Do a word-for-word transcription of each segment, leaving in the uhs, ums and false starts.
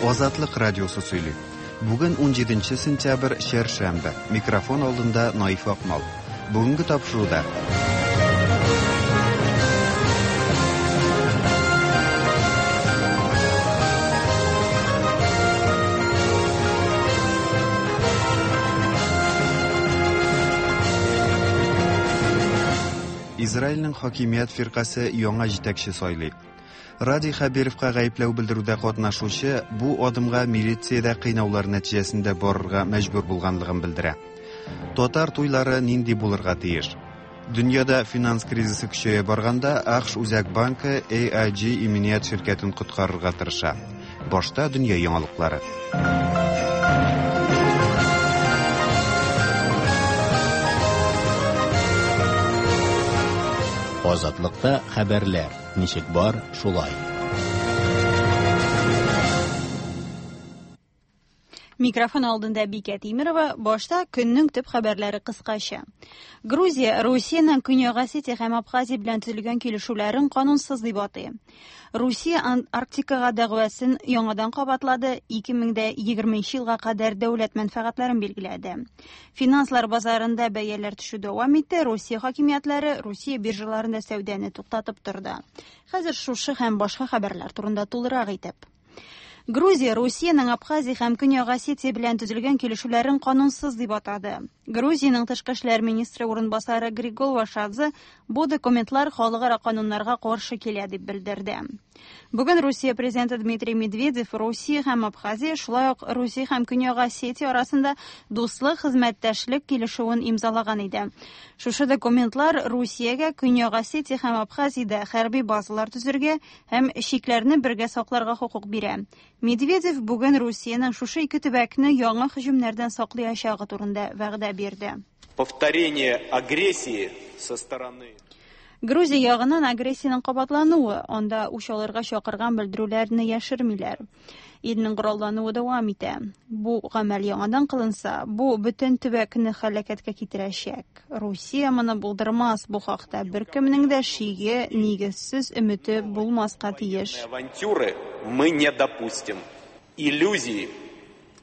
Азатлык радиосы сөйли. Бүген унҗиденче сентябрь, чәршәмбе. Микрофон алдында Наиф Акмал. Бүгенге тапшыруда Израильнең хакимият фиркасе яңа җитәкче сайлый. Радий Хәбировка гаепләү белдерүдә катнашучы бу адымга милициядә кыйнаулар нәтиҗәсендә барырга мәҗбүр булганлыгын белдерә. Татар туйлары нинди булырга тиеш? Дөньяда финанс кризисы көчәя барганда АКШ Үзәк банкы A I G иминият ширкәтен коткарырга тырыша. Башта дөнья яңалыклары. Азатлыкта хәбәрләр ничек бар, шулай. Микрофон алдында Бикә Тимирова. Башта көннең төп хәбәрләре кыскача. Грузия Русиянең Көньяк Осетия һәм Абхазия белән төзелгән килешүләрен канунсыз дип атый. Русия Антарктикага дәгъвасын яңадан кабатлады, ике мең дә егерменче елга кадәр дәүләт мәнфәгатьләрен билгеләде. Финанслар базарында бәяләр төшү дәвам итте, Русия хакимиятләре Русия биржаларында сәүдәне туктатып торды. Хәзер шушы һәм башка хәбәрләр турында тулырак итеп. Грузия Русиянең Абхазия һәм Көньяк Осетия белән төзелгән килешүләрен канунсыз дип атады. Грузиянең тышкы эшләр министры урынбасары Григол Вашадзе бу документлар халыкара кануннарга каршы килә дип белдерде. Бүген Русия президенты Дмитрий Медведев Русия һәм Абхазия, шулай ук Русия һәм Көньяк Осетия арасында дуслык хезмәттәшлек килешүен имзалаган иде. Шушы документлар Русиягә Көньяк Осетия һәм Абхазиядә хәрби базалар төзергә һәм чикләрне бергә сакларга хокук бирә. Медведев бүген Русиянең шушы ике төбәкне яңа һөҗүмнәрдән саклаячагы турында вәгъдә бирде. Повторение агрессии со стороны Грузия ягыннан агрессиянең кабатлануы, анда үч алырга чакырган белдерүләрне яшермиләр. Илнең кораллануы дәвам итә. Бу гамәл яңадан кылынса, бу бөтен төбәкне һәлакәткә китерәчәк. Русия моны булдырмас, бу хакта беркемнең дә шиге, нигезсез өмете булмаска тиеш. Авантюры мы не допустим. Иллюзии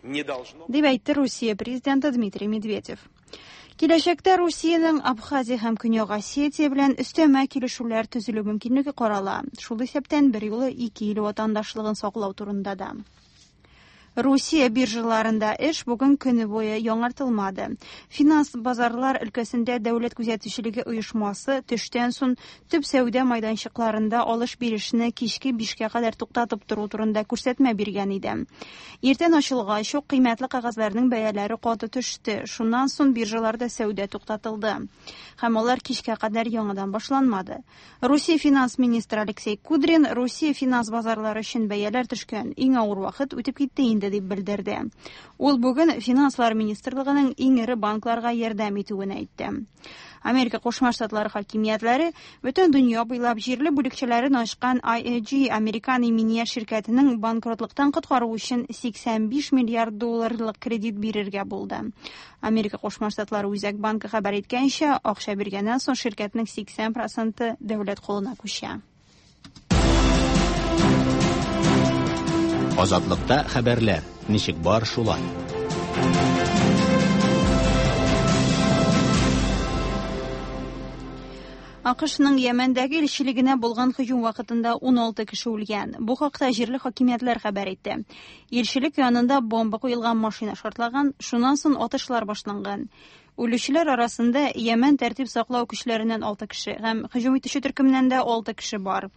не должно. Дип әйтте Русия президенты Дмитрий Медведев. Киләчәктә Русиянең Абхазия һәм Көньяк Осетия белән өстәмә килешүләр төзелү мөмкинлеге карала. Шул исәптән бер юлы ике ил ватандашлыгын саклау турында да. Русия биржаларында эш бүген көне буе яңартылмады. Финанс базарлар өлкәсендә дәүләт күзәтүчелеге оешмасы төштән соң төп сәүдә майданчыкларында алыш-бирешне кичке бишкә кадәр туктатып тору турында күрсәтмә биргән иде. Иртән ачылгач ук кыйммәтле кәгазьләрнең бәяләре каты төште. Шуннан соң биржаларда сәүдә туктатылды. Һәм алар кичкә кадәр яңадан башланмады. Русия финанс министры Алексей Кудрин Русия финанс базарлары өчен бәяләр төшкән иң авыр вакыт үтеп китте инде дип белдерде. Ул бүген Финанслар министрлыгының иң эре банкларга ярдәм итүен әйтте. Америка Кушма Штатлары хакимиятләре бөтен дөнья буйлап җирле бүлекчәләрен ачкан I A G Американ иминият ширкәтенең банкротлыктан коткару өчен сиксән биш миллиард долларлык кредит бирергә булды. Америка Кушма Штатлары Үзәк банкы хәбәр иткәнчә, акча биргәннән соң ширкәтнең сиксән проценты дәүләт кулына күчә. Азатлыкта хәбәрләр ничек бар, шулай. АКШның Йәмәндәге илчелегенә булган һөҗүм вакытында ун алты кеше үлгән. Бу хакта җирле хакимиятләр хәбәр итте. Илчелек янында бомба куелган машина шартлаган, шуннан соң атышлар башланган. Үлүчеләр арасында Йәмән тәртип саклау көчләреннән алты кеше һәм һөҗүм итүче төркемнән дә алты кеше бар.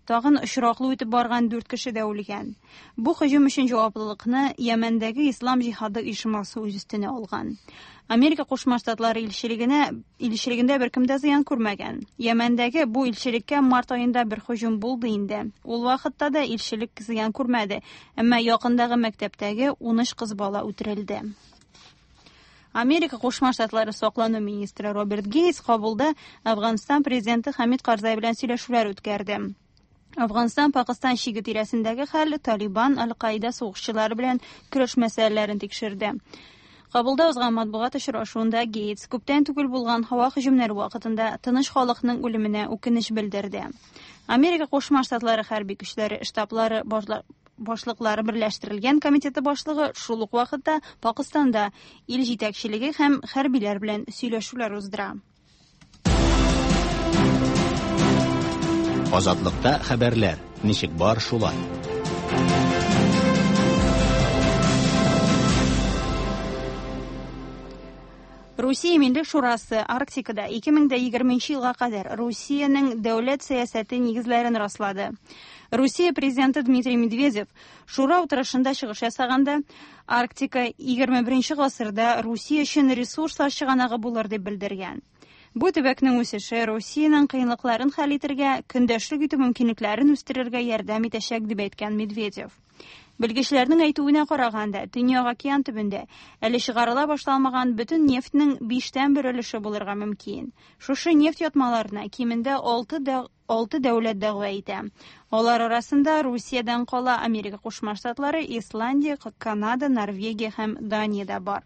Тагын очраклы үтеп барган дүрт кеше дә үлгән. Бу һөҗүм өчен җаваплылыкны Йәмәндәге Ислам җиһады оешмасы үз өстенә алган. Америка Кушма Штатлары илчелегенә, илчелегендә беркем дә зыян күрмәгән. Йәмәндәге бу илчелеккә март аенда бер һөҗүм булды инде. Ул вакытта да илчелек зыян күрмәде, әмма якындагы мәктәптәге ун өч кыз бала үтерелде. Америка Кушма Штатлары саклану министры Роберт Гейтс Кабулда Афганстан президенты Хамид Карзай белән сөйләшүләр үткәрде. Афганстан Пакистан чиге тирәсендәге хәл, Талибан, Аль-Каида сугышчылары белән көрәш мәсьәләләрен тикшерде. Кабулда узган матбугат очрашуында Гейтс күптән түгел булган һава һөҗүмнәре вакытында тыныч халыкның үлеменә үкенеч белдерде. Америка Кушма Штатлары хәрби көчләре штаблары башла-, башлыклары берләштерелгән комитеты башлыгы шул ук вакытта Пакыстанда ил җитәкчелеге һәм хәрбиләр белән сөйләшүләр уздыра. Азатлыкта хәбәрләр ничек бар шулай. Русия Милли Шурасы Арктикада ике мең егерменче елга кадәр Русиянең дәүләт сәясәте нигезләрен раслады. Русия президенты Дмитрий Медведев шура утырышында чыгыш ясаганда Арктика егерме беренче гасырда Русия өчен ресурслар чыганагы булыр дип белдергән. Бу төбәкнең үсеше Русиянең кыенлыкларын хәл итәргә, көндәшлек итү мөмкинлекләрен үстерергә ярдәм итәчәк дип әйткән Медведев. Белгечләрнең әйтүенә караганда, Төньяк океан төбендә әле чыгарыла башламаган бөтен нефтьнең биштән бер өлеше булырга мөмкин. Шушы нефть ятмаларына кимендә алты алты дәүләт дәгъва итә. Алар арасында Русиядән кала Америка Кушма Штатлары, Исландия, Канада, Норвегия һәм Дания дә бар.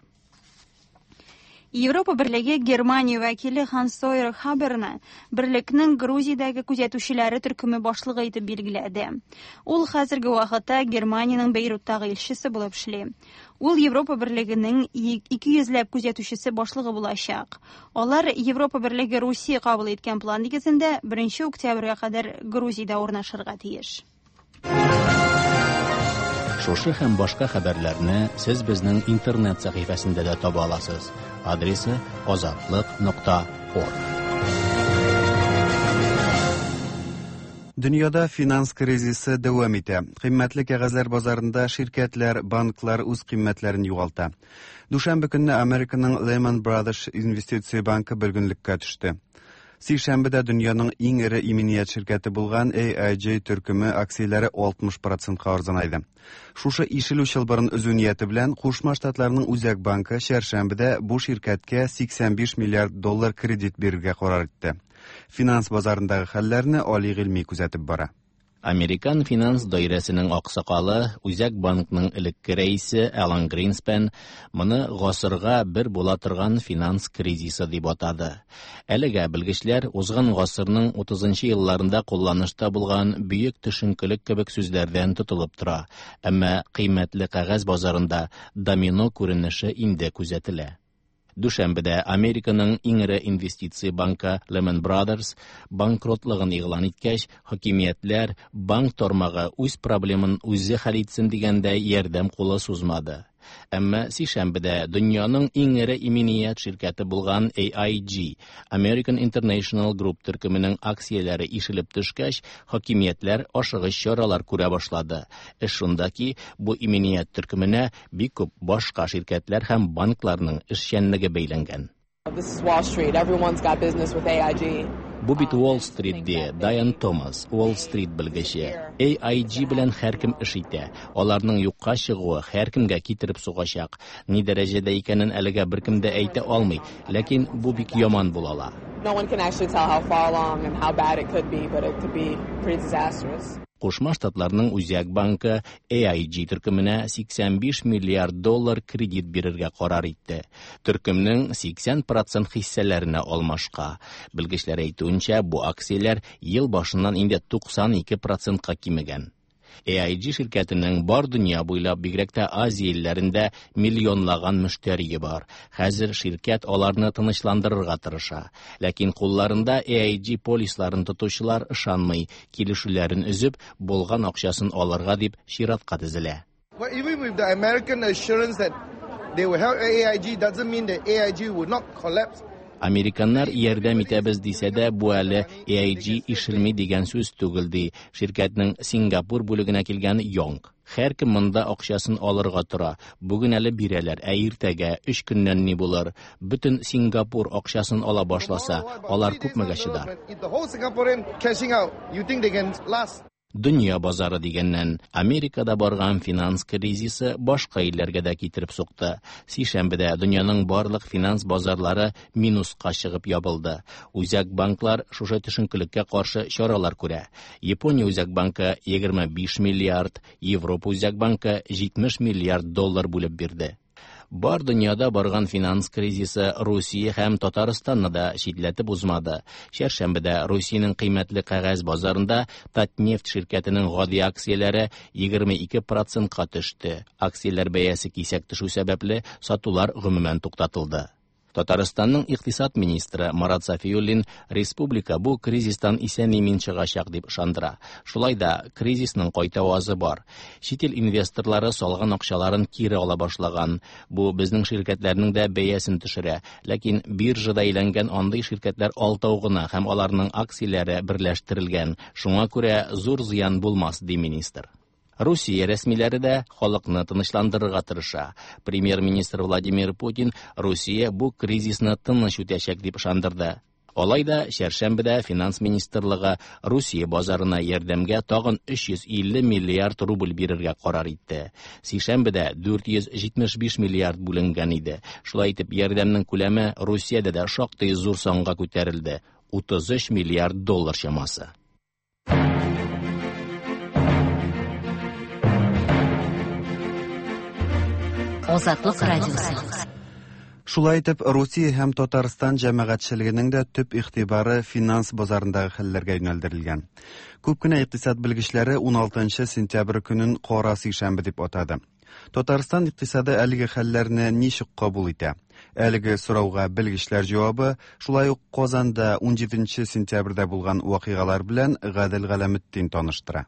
Европа Берлеге Германия вәкиле Ханс-Йорг Хаберны берлекнең Грузиядәге күзәтүчеләре төркеме башлыгы итеп билгеләде. Ул хәзерге вакытта Германиянең Бейруттагы илчесе булып эшли. Ул Европа Берлегенең ике йөзләп күзәтүчесе башлыгы булачак. Алар Европа Берлеге Русия кабул иткән план нигезендә беренче октябрьгә кадәр Грузиядә урнашырга тиеш. Шушы һәм башка хәбәрләрне сез безнең интернет сәхифәсендә дә таба аласыз. Адресы азатлык нокта орг. Дөньяда финанс кризисы дәвам итә. Кыйммәтле кәгазьләр базарында ширкәтләр, банклар үз кыйммәтләрен югалта. Дүшәмбе көнне Американың Lehman Brothers инвестиция банкы бөлгенлеккә төште. Сишәмбедә дөньяның иң эре иминият ширкәте булган A I G төркеме акцияләре алтмыш процентка арзанайды. Шушы ишелү чылбырын өзү нияте белән Кушма Штатларның Үзәк банкы чәршәмбедә бу ширкәткә сиксән биш миллиард доллар кредит бирергә карар итте. Финанс базарындагы хәлләрне Али Гыйльми күзәтеп бара. Американ финанс даирәсенең аксакалы, Үзәк банкның элекке рәисе Алан Гринспен моны гасырга бер була торган финанс кризисы дип атады. Әлегә белгечләр узган гасырның утызынчы елларында кулланышта булган бөек төшенкелек кебек сүзләрдән тотылып тора. Әмма кыйммәтле кәгазь базарында домино күренеше инде күзәтелә. Дүшәмбедә Американың иң эре инвестиция банкы Lehman Brothers банкротлыгын игълан иткәч, хакимиятләр банк тармагы үз проблемын үзе хәл итсен дигәндә ярдәм кулы сузмады. Әмма сишәмбедә дөньяның иң эре иминият ширкәте булган A I G, American International Group төркеменең акцияләре ишелеп төшкәч, хакимиятләр ашыгыч чаралар күрә башлады. Эш шунда ки, бу иминият төркеменә бик күп башка ширкәтләр һәм банкларның эшчәнлеге бәйләнгән. This is Wall Street. Everyone's got business with A I G. Бу бит Wall Street ди, Дайан Томас, Wall Street белгече. A I G белән һәркем эш итә. Аларның юкка чыгуы һәркемгә китереп сугачак. Ни дәрәҗәдә икәнен әлегә беркем дә әйтә алмый, ләкин бу бик яман була ала. No one can actually tell how far along and how bad it could be, but it could be pretty disastrous. Кушма Штатларның Үзәк банкы A I G төркеменә сиксән биш миллиард доллар кредит бирергә карар итте. Төркемнең сиксән процент хиссәләренә алмашка. Белгечләр әйтүенчә, бу акцияләр ел башыннан инде туксан ике процентка кимегән. A I G ширкәтенең бар дөнья буйлап, бигрәк тә Азия илләрендә миллионлаган мөштәрие бар. Хәзер ширкәт аларны тынычландырырга тырыша. Ләкин кулларында A I G полисларын тотучылар ышанмый, килешүләрен өзеп, булган акчасын алырга дип чиратка тезелә. Well, even with the American assurance that they will help A I G doesn't mean that A I G will not collapse. Американнар ярдәм итәбез дисә дә, бу әле A I G ишелми дигән сүз түгел, ди ширкәтнең Сингапур бүлегенә килгән Йонг. Һәркем монда акчасын алырга тора. Бүген әле бирәләр, ә иртәгә өч көннән ни булыр? Бөтен Сингапур акчасын ала башласа, алар күпмегә чыдар? If the whole Singaporean cashing out, you think they can last? Дөнья базары дигәннән, Америкада барган финанс кризисы башка илләргә дә китереп сукты. Сишәмбедә дөньяның барлык финанс базарлары минуска чыгып ябылды. Үзәк банклар шушы төшенкелеккә каршы чаралар күрә. Япония Үзәк банкы егерме биш миллиард, Европа Үзәк банкы җитмеш миллиард доллар бүлеп бирде. Бар дөньяда барган финанс кризисы Русия һәм Татарстанны да читләтеп узмады. Чәршәмбедә Русиянең кыйммәтле кәгазь базарында Татнефть ширкәтенең гади акцияләре егерме ике процентка төште. Акцияләр бәясе кисәк төшү сәбәпле сатулар гомумән туктатылды. Татарстанның икътисад министры Марат Сафиуллин республика бу кризистан исән-имин чыгачак дип ышандыра. Шулай да кризисның кайтавазы бар. Чит ил инвесторлары салган акчаларын кире ала башлаган. Бу безнең ширкәтләрнең дә бәясен төшерә. Ләкин биржада әйләнгән андый ширкәтләр алтау гына һәм аларның акцияләре берләштерелгән. Шуңа күрә зур зыян булмас, ди министр. Русия рәсмиләре дә халыкны тынычландырырга тырыша. Премьер-министр Владимир Путин Русия бу кризисны тыныч үтәчәк дип ышандырды. Алай да чәршәмбедә финанс министрлыгы Русия базарына ярдәмгә тагын өч йөз илле миллиард рубль бирергә карар итте. Сишәмбедә дүрт йөз җитмеш биш миллиард бүленгән иде. Шулай итеп ярдәмнең күләме Русиядә дә шактый зур санга күтәрелде. утыз өч миллиард доллар чамасы. Азатлык радиосы. Шулай итеп, Русия һәм Татарстан җәмәгатьчелегенең дә төп игътибары финанс базарындагы хәлләргә юнәлдерелгән. Күп кенә икътисад белгечләре уналтынчы сентябрь көнен кара сишәмбе дип атады. Татарстан икътисады әлеге хәлләрне ничек кабул итә? Әлеге сорауга белгечләр җавабы шулай ук Казанда унҗиденче сентябрьдә булган вакыйгалар белән Гадел Галәметдин таныштыра.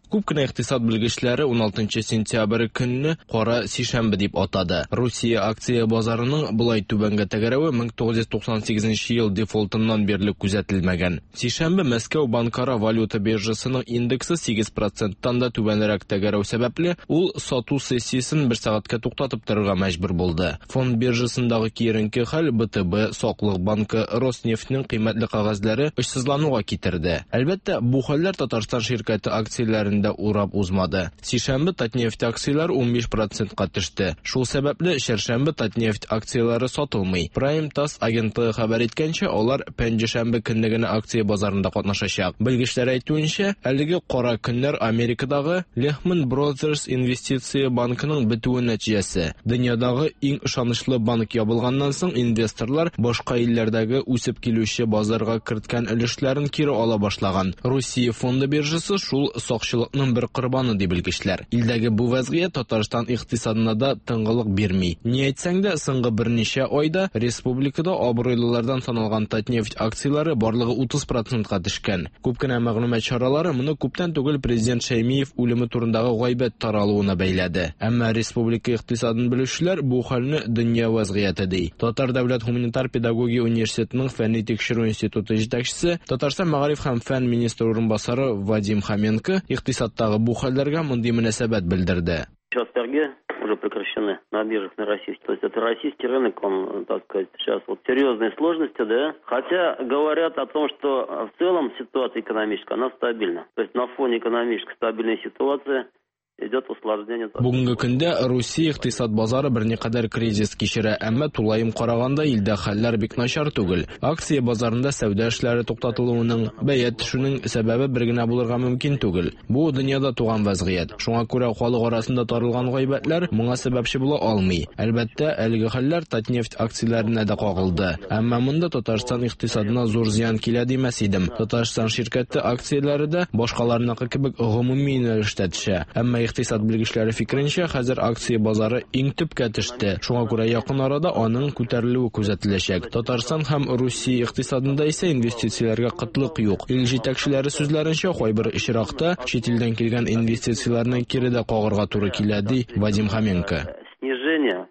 Күп кенә икътисад белгечләре уналтынчы сентябрь көнне кара сишәмбе дип атады. Русия акция базарының болай түбәнгә тәгәрәве мең тугыз йөз туксан сигезенче ел дефолтыннан бирле күзәтелмәгән. Сишәмбе Мәскәү банкара валюта биржасының индексы сигез проценттан да түбәнрәк тәгәрәү сәбәпле, ул сату сессиясен бер сәгатькә туктатып торырга мәҗбүр булды. Фонд биржасындагы киеренке хәл Бэ Тэ Бэ, Саклык банкы, Роснефтьнең кыйммәтле кәгазьләре очсызлануга китерде. Әлбәттә, бу хәлләр Татарстан ширкәте акцияләрен дә урап узмады. Сишәмбе Татнефть акцияләре унбиш процентка төште. Шул сәбәпле чәршәмбе Татнефть акцияләре сатылмый. Prime ТАСС агентлыгы хәбәр иткәнчә, алар пәнҗешәмбе көнне генә акция базарында катнашачак. Белгечләр әйтүенчә, әлеге кара көннәр Америкадагы Lehman Brothers инвестиция банкының бетүе нәтиҗәсе. Дөньядагы иң ышанычлы банк ябылганнан соң инвесторлар башка илләрдәге үсеп килүче базарга керткән өлешләрен кире ала башлаган. Русия фонды биржасы шул сакчылык бер корбаны ди белгечләр. Илдәге бу вәзгыять Татарстан икътисадына да тынгылык бирми. Ни әйтсәң дә, соңгы берничә айда республикада абруйлылардан саналган Татнефть акцияләре барлыгы утыз процентка төшкән. Күп кенә мәгълүмат чаралары моны күптән түгел президент Шәймиев үлеме турындагы гайбәт таралуына бәйләде. Әмма республика икътисадын белүчеләр бу хәлне дөнья вәзгыяте ди. Татар дәүләт гуманитар педагогия университетының фәнни тикшерү институты җитәкчесе, Татарстан мәгариф һәм фән министры урынбасары Вадим Хоменко икътисадтагы бу хәлләргә мондый мөнәсәбәт белдерде. Сейчас торги уже прекращены на биржах на российских. То есть это российский рынок, он, так сказать, сейчас вот серьезные сложности, да. Хотя говорят о том, что в целом ситуация экономическая, она стабильна. То есть на фоне экономической стабильной ситуации идет усложнение. Бүгенге көндә Русия икътисад базары берникадәр кризис кичерә, әмма тулаем караганда илдә хәлләр бик начар түгел. Акция базарында сәүдә эшләре туктатылуының, бәя төшүнең сәбәбе бер генә булырга мөмкин түгел. Бу дөньяда туган вәзгыять. Шуңа күрә халык арасында таралган гайбәтләр моңа сәбәпче була алмый. Әлбәттә, әлеге хәлләр Татнефть акцияләренә дә кагылды. Әмма монда Татарстан икътисадына зур зыян килә димәс идем. Татарстан ширкәте акцияләре дә башкаларныкы кебек гомуми юнәлештә төшә. Әмма икътисад белгечләре фикеренчә, хәзер акция базары иң төпкә төште. Шуңа күрә якын арада аның күтәрелүе күзәтеләчәк. Татарстан һәм Русия икътисадында исә инвестицияләргә кытлык юк. Ил җитәкчеләре сүзләренчә, кайбер очракта чит илдән килгән инвестицияләрне кире дә кагырга туры килә, ди Вадим Хоменко. Снижение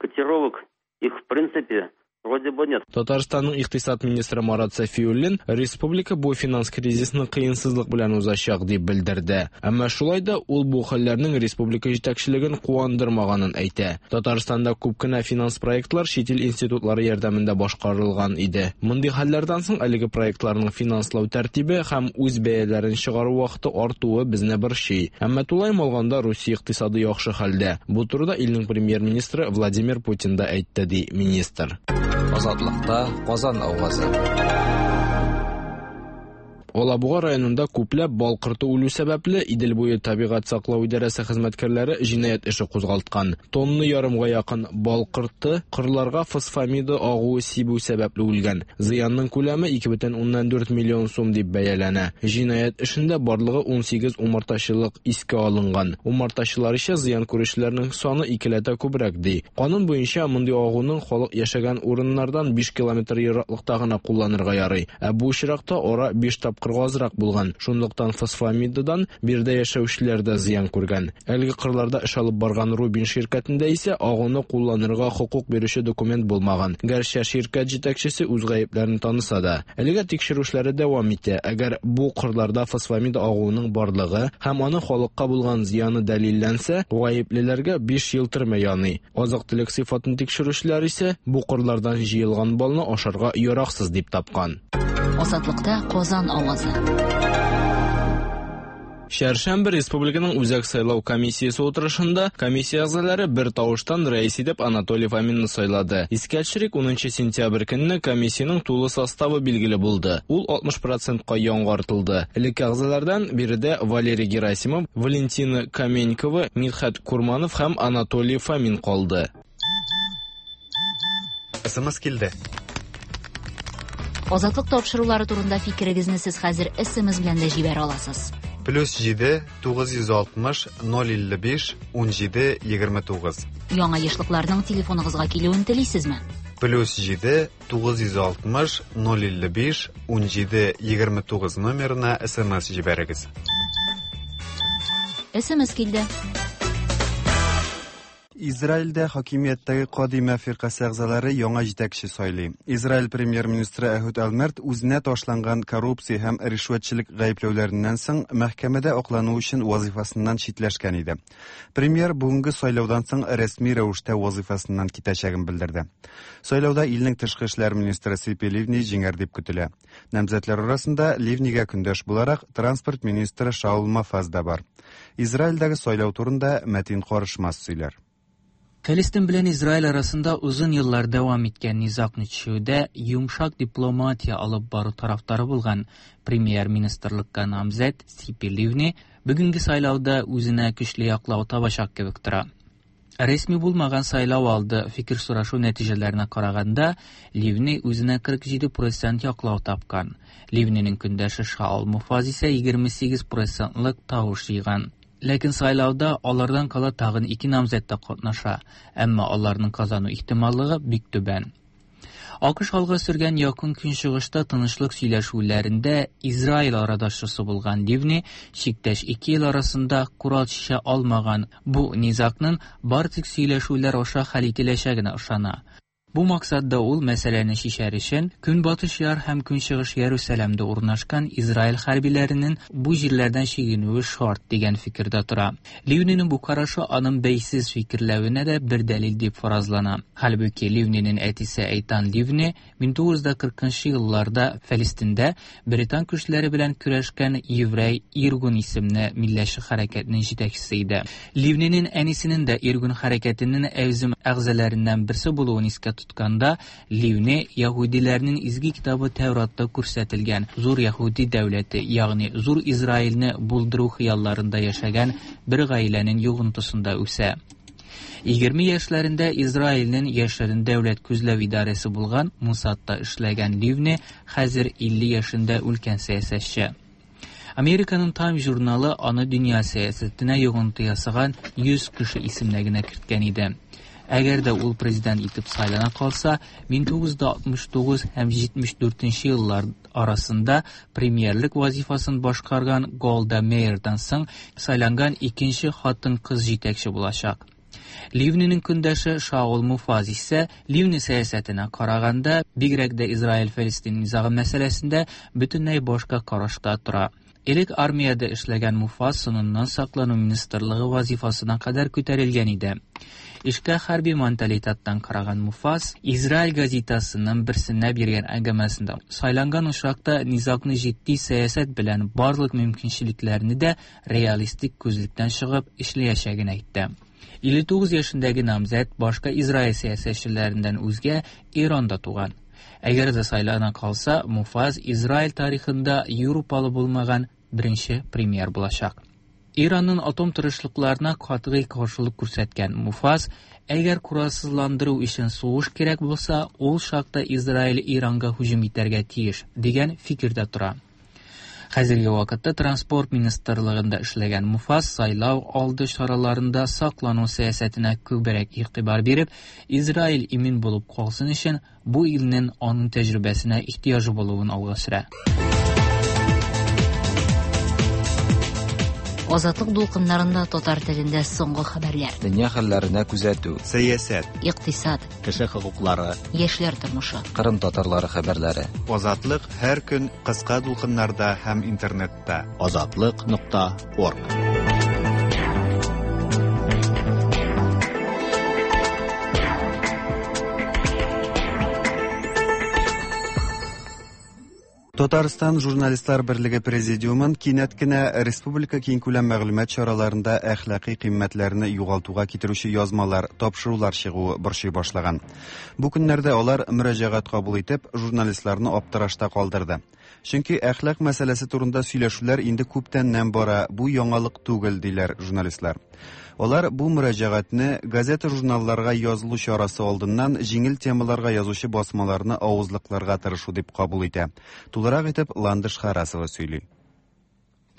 котировок их в принципе вроде бы нет. Татарстанның икътисад министры Марат Сафиуллин республика бу финанс кризисны кыенсызлык белән узачак дип белдерде. Әмма шулай да ул бу хәлләрнең республика җитәкчелеген куандырмаганын әйтә. Татарстанда күп кенә финанс проектлар чит ил институтлары ярдәмендә башкарылган иде. Мондый хәлләрдән соң әлеге проектларның финанслау тәртибе һәм үз бәяләрен чыгару вакыты артуы безне борчый. Әмма тулаем алганда Русия икътисады яхшы хәлдә. Бу турыда илнең премьер-министры Владимир Путин да әйтте, ди министр. Азатлыкта Казан авазы. Алабуга районында күпләп бал корты үлү сәбәпле Идел буе табигать саклау идарәсе хезмәткәрләре җинаять эше кузгалткан. Тонна ярымга якын бал корты кырларга фосфамида агуы сибү сәбәпле үлгән. Зыянның күләме ике бөтен уннан дүрт миллион сум дип бәяләнә. Җинаять эшендә барлыгы ун сигез умартачылык искә алынган. Умартачылар исә зыян күрүчеләрнең саны икеләтә күбрәк ди. Канун буенча мондый агуның халык яшәгән урыннардан биш километр ераклыкта гына кулланырга ярый. Ә бу очракта ара биш тапкырга азрак булган. Шунлыктан фосфамидадан биредә яшәүчеләр дә зыян күргән. Әлеге кырларда эш алып барган Рубин ширкәтендә исә агуны кулланырга хокук бирүче документ булмаган. Гәрчә ширкәт җитәкчесе үз гаепләрен таныса да, әлегә тикшерү эшләре дәвам итә. Әгәр бу кырларда фосфамид агуының барлыгы һәм аның халыкка булган зыяны дәлилләнсә, гаеплеләргә биш ел төрмә яный. Азык-төлек сыйфатын тикшерүчеләр исә бу кырлардан җыелган балны ашарга яраксыз дип тапкан. Азатлыкта Казан авазы. Чәршәмбе Республиканың Үзәк сайлау комиссиясе утырышында комиссия әгъзалары бер тавыштан рәис итеп Анатолий Фоминны сайлады. Искә төшерик, унынчы сентябрь көнне комиссиянең тулы составы билгеле булды. Ул алтмыш процентка яңартылды. Элекке әгъзалардан биредә Валерий Герасимов, Валентина Каменькова, Мидхәт Курманов һәм Анатолий Фомин калды. СМС килде. Азатлык тапшырулары турында фикерегезне сез хәзер СМС белән дә җибәрә аласыз. Плюс җиде, тугыз йөз алтмыш, ноль илле биш, ун җиде, егерме тугыз. Яңа ешлыкларның телефоныгызга килүен телисезме? Плюс җиде, тугыз йөз алтмыш, ноль илле биш, ун җиде, егерме тугыз номерына СМС җибәрегез. СМС килде. Израильдә хакимияттәге Кадима фиркасе әгъзалары яңа җитәкче сайлый. Израиль премьер-министры Әһүд Олмерт үзенә ташланган коррупция һәм ришвәтчелек гаепләүләреннән соң мәхкәмәдә аклану өчен вазифасыннан читләшкән иде. Премьер бүгенге сайлаудан соң рәсми рәвештә вазифасыннан китәчәген белдерде. Сайлауда илнең тышкы эшләр министры Сипи Ливни җиңәр дип көтелә. Намзәтләр арасында Ливнигә көндәш буларак транспорт министры Шаул Мафаз да бар. Израильдәге сайлау турында Мәтин Карышмас сөйләр. Фәлестин белән Израиль арасында озын еллар дәвам иткән низагны чишүдә йомшак дипломатия алып бару тарафдары булган премьер-министрлыкка намзәт Сипи Ливни бүгенге сайлауда үзенә көчле яклау табачак кебек тора. Рәсми булмаган сайлау алды фикер сорашу нәтиҗәләренә караганда, Ливни үзенә кырык җиде процент яклау тапкан. Ливниның көндәше Шаул Муфаз исә егерме сигез процентлык тавыш җыйган. Ләкин сайлауда алардан кала тагын ике намзәт тә катнаша, әмма аларның казану ихтималлыгы бик түбән. АКШ алга сөргән якын көнчыгышта тынычлык сөйләшүләрендә Израиль арадашчысы булган Ливни чиктәш ике ил арасында корал чишә алмаган бу низагның бары тик сөйләшүләр аша хәл ителәчәгенә ышана. Бу максатда ул мәсьәләне чишәр өчен Көнбатыш яр һәм Көнчыгыш Ярусалимдә урнашкан Израиль хәрбиләренең бу җирләрдән чигенүе шарт дигән фикердә тора. Ливниның бу карашы аның бәйсез фикерләвенә дә бер дәлил дип фаразлана. Хәлбуки Ливниның әтисе Эйтан Ливни мең тугыз йөз кыркынчы елларда Фәлестиндә британ көчләре белән көрәшкән еврей Иргун исемле милләтче хәрәкәтнең җитәкчесе иде. Ливниның әнисенең дә Иргун хәрәкәтенең әүзем әгъзаларыннан берсе булуын искә тотканда, Ливни яһүдиләрнең изге китабы Тәүратта күрсәтелгән зур яһүди дәүләте, ягъни зур Израильне булдыру хыялларында яшәгән бер гаиләнең йогынтысында үсә. Егерме яшьләрендә Израильнең яшерен дәүләт күзләү идарәсе булган Мусадта эшләгән Ливни хәзер илле яшендә үлкән сәясәтче. Американың Time журналы аны дөнья сәясәтенә йогынты ясаган йөз кеше исемлегенә керткән иде. Әгәр дә ул президент итеп сайлана калса, мең тугыз йөз алтмыш тугыз һәм җитмеш дүртенче еллар арасында премьерлык вазифасын башкарган Голда Меирдан соң сайланган икенче хатын-кыз җитәкче булачак. Ливниның көндәше Шаул Муфаз исә Ливни сәясәтенә караганда, бигрәк дә Израиль-Фәлестин низагы мәсьәләсендә бөтенләй башка карашта тора. Элек армиядә эшләгән Муфаз соңыннан саклану министрлыгы вазифасына кадәр күтәрелгән иде. Эшкә хәрби менталитеттан караган Муфаз Израиль газетасының берсенә биргән әңгәмәсендә сайланган очракта низагны җитди сәясәт белән барлык мөмкинчелекләрне дә реалистик күзлектән чыгып эшләячәген әйтте. Илле тугыз яшендәге намзәт башка Израиль сәясәтчеләреннән үзгә Иранда туган. Әгәр дә сайлана калса, Муфаз Израиль тарихында Европалы булмаган беренче премьер булачак. Иранның атом тырышлыкларына катгый каршылык күрсәткән Муфаз, әгәр коралсызландыру өчен сугыш кирәк булса, ул чакта Израиль Иранга һөҗүм итәргә тиеш дигән фикердә тора. Хәзерге вакытта транспорт министрлыгында эшләгән Муфаз сайлау алды чараларында саклану сәясәтенә күбрәк игътибар биреп, Израиль имин булып калсын өчен бу илнең аның тәҗрибәсенә ихтыяҗы булуын алга сөрә. Азатлык дулкыннарында татар телендә соңгы хәбәрләр. Дөнья хәлләренә күзәтү. Сәясәт, икътисад, кеше хокуклары, яшьләр тормышы. Кырым татарлары хәбәрләре. Азатлык һәр көн кыска дулкыннарда һәм интернетта. Азатлык нокта орг. Татарстан Журналистлар берлеге президиумын кинәт кенә республика киңкүләм мәгълүмат чараларында әхлаки кыйммәтләрне югалтуга китерүче язмалар, тапшырулар чыгуы борчый башлаган. Бу көннәрдә алар мөрәҗәгать кабул итеп, журналистларны аптырашта калдырды. Чөнки әхлак мәсьәләсе турында сөйләшүләр инде күптәннән бара, бу яңалык түгел, диләр журналистлар. Алар бу мөрәҗәгатьне газета-журналларга язылу чарасы алдыннан җиңел темаларга язучы басмаларны авызлыкларга тырышу дип кабул итә. Тулырак итеп Ландыш Харасова сөйли.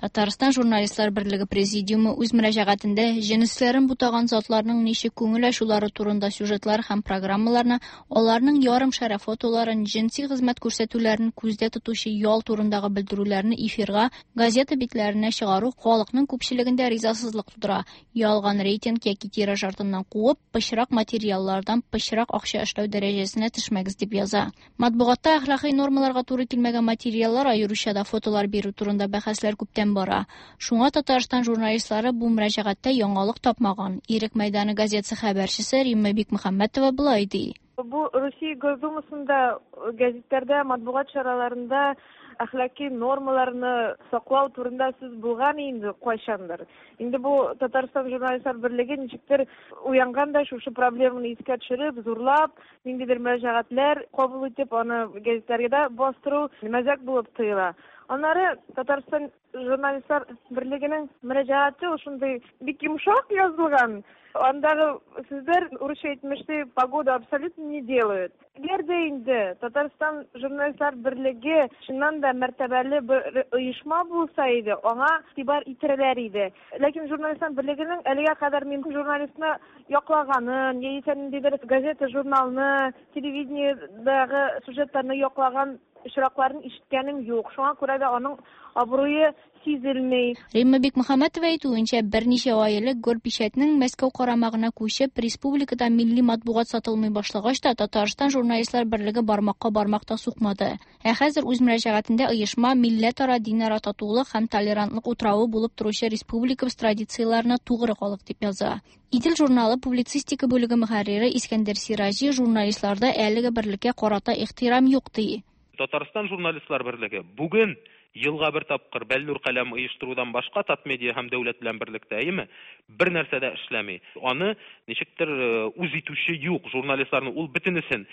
Татарстан Журналистлар берлеге президиумы үз мөрәҗәгатендә җенесләрен бутаган затларның ничек күңел ачулары турында сюжетлар һәм программаларны, аларның ярым шәрә фотоларын, җенси хезмәт күрсәтүләрен күздә тотучы ял турындагы белдерүләрне эфирга, газета битләренә чыгару халыкның күпчелегендә ризасызлык тудыра. Ялган рейтинг яки тираж артыннан куып, пычрак материаллардан пычрак акча эшләү дәрәҗәсенә төшмәгез дип яза. Матбугатта әхлакый нормаларга туры килмәгән материаллар, аеруча да фотолар бирү турында бәхәсләр күптән бара. Шуңа Татарстан журналистлары бу мөрәҗәгатьтә яңалык тапмаган. Ирек мәйданы газетасы хәбәрчесе Римма Бикмөхәммәтова болай ди. Бу Русия Госдумасында, гәзитләрдә, матбугат чараларында әхлаки нормаларны саклау турында сүз булган инде кайчандыр. Инде бу Татарстан Журналистлар берлеге ничектер уянган да шушы проблеманы искә төшереп, зурлап, ниндидер мөрәҗәгатьләр кабул итеп, аны гәзитләргә дә бастыру мәзәк булып тоела. Аннары Татарстан Журналистлар берлегенең мөрәҗәгате ул шундый бик йомшак язылган. Андагы сүзләр, урысча әйтмешли, погода абсолютно не делают. Әгәр дә инде Татарстан Журналистлар берлеге чыннан да мәртәбәле бер оешма булса иде, аңа игътибар итерләр иде. Ләкин Журналистлар берлегенең әлегә кадәр мин журналистны яклаганын, яисә ниндидер газета, журналны, телевидениедагы сюжетларны яклаган очракларын ишеткәнем юк. Шуңа күрә дә аның абруе сизелми. Римма Бикмөхәммәтова әйтүенчә, берничә ай элек Горпечатьнең Мәскәү карамагына күчеп, республикада милли матбугат сатылмый башлагач та Татарстан Журналистлар берлеге бармакка бармак та сукмады. Ә хәзер үз мөрәҗәгатендә оешма милләтара, динара татулык һәм толерантлык утравы булып торучы республикабыз традицияләренә тугры калык дип яза. Идел журналы публицистика бүлеге мөхәррире Искәндәр Сираҗи журналистларда әлеге берлеккә карата ихтирам юк ди. Татарстан Журналистлар берлеге бүген елга бер тапкыр бәллүр каләм оештырудан башка Татмедиа һәм дәүләт белән берлектә, әйеме, бер нәрсә дә эшләми. Аны ничектер үз итүче юк журналистларны, ул бөтенесен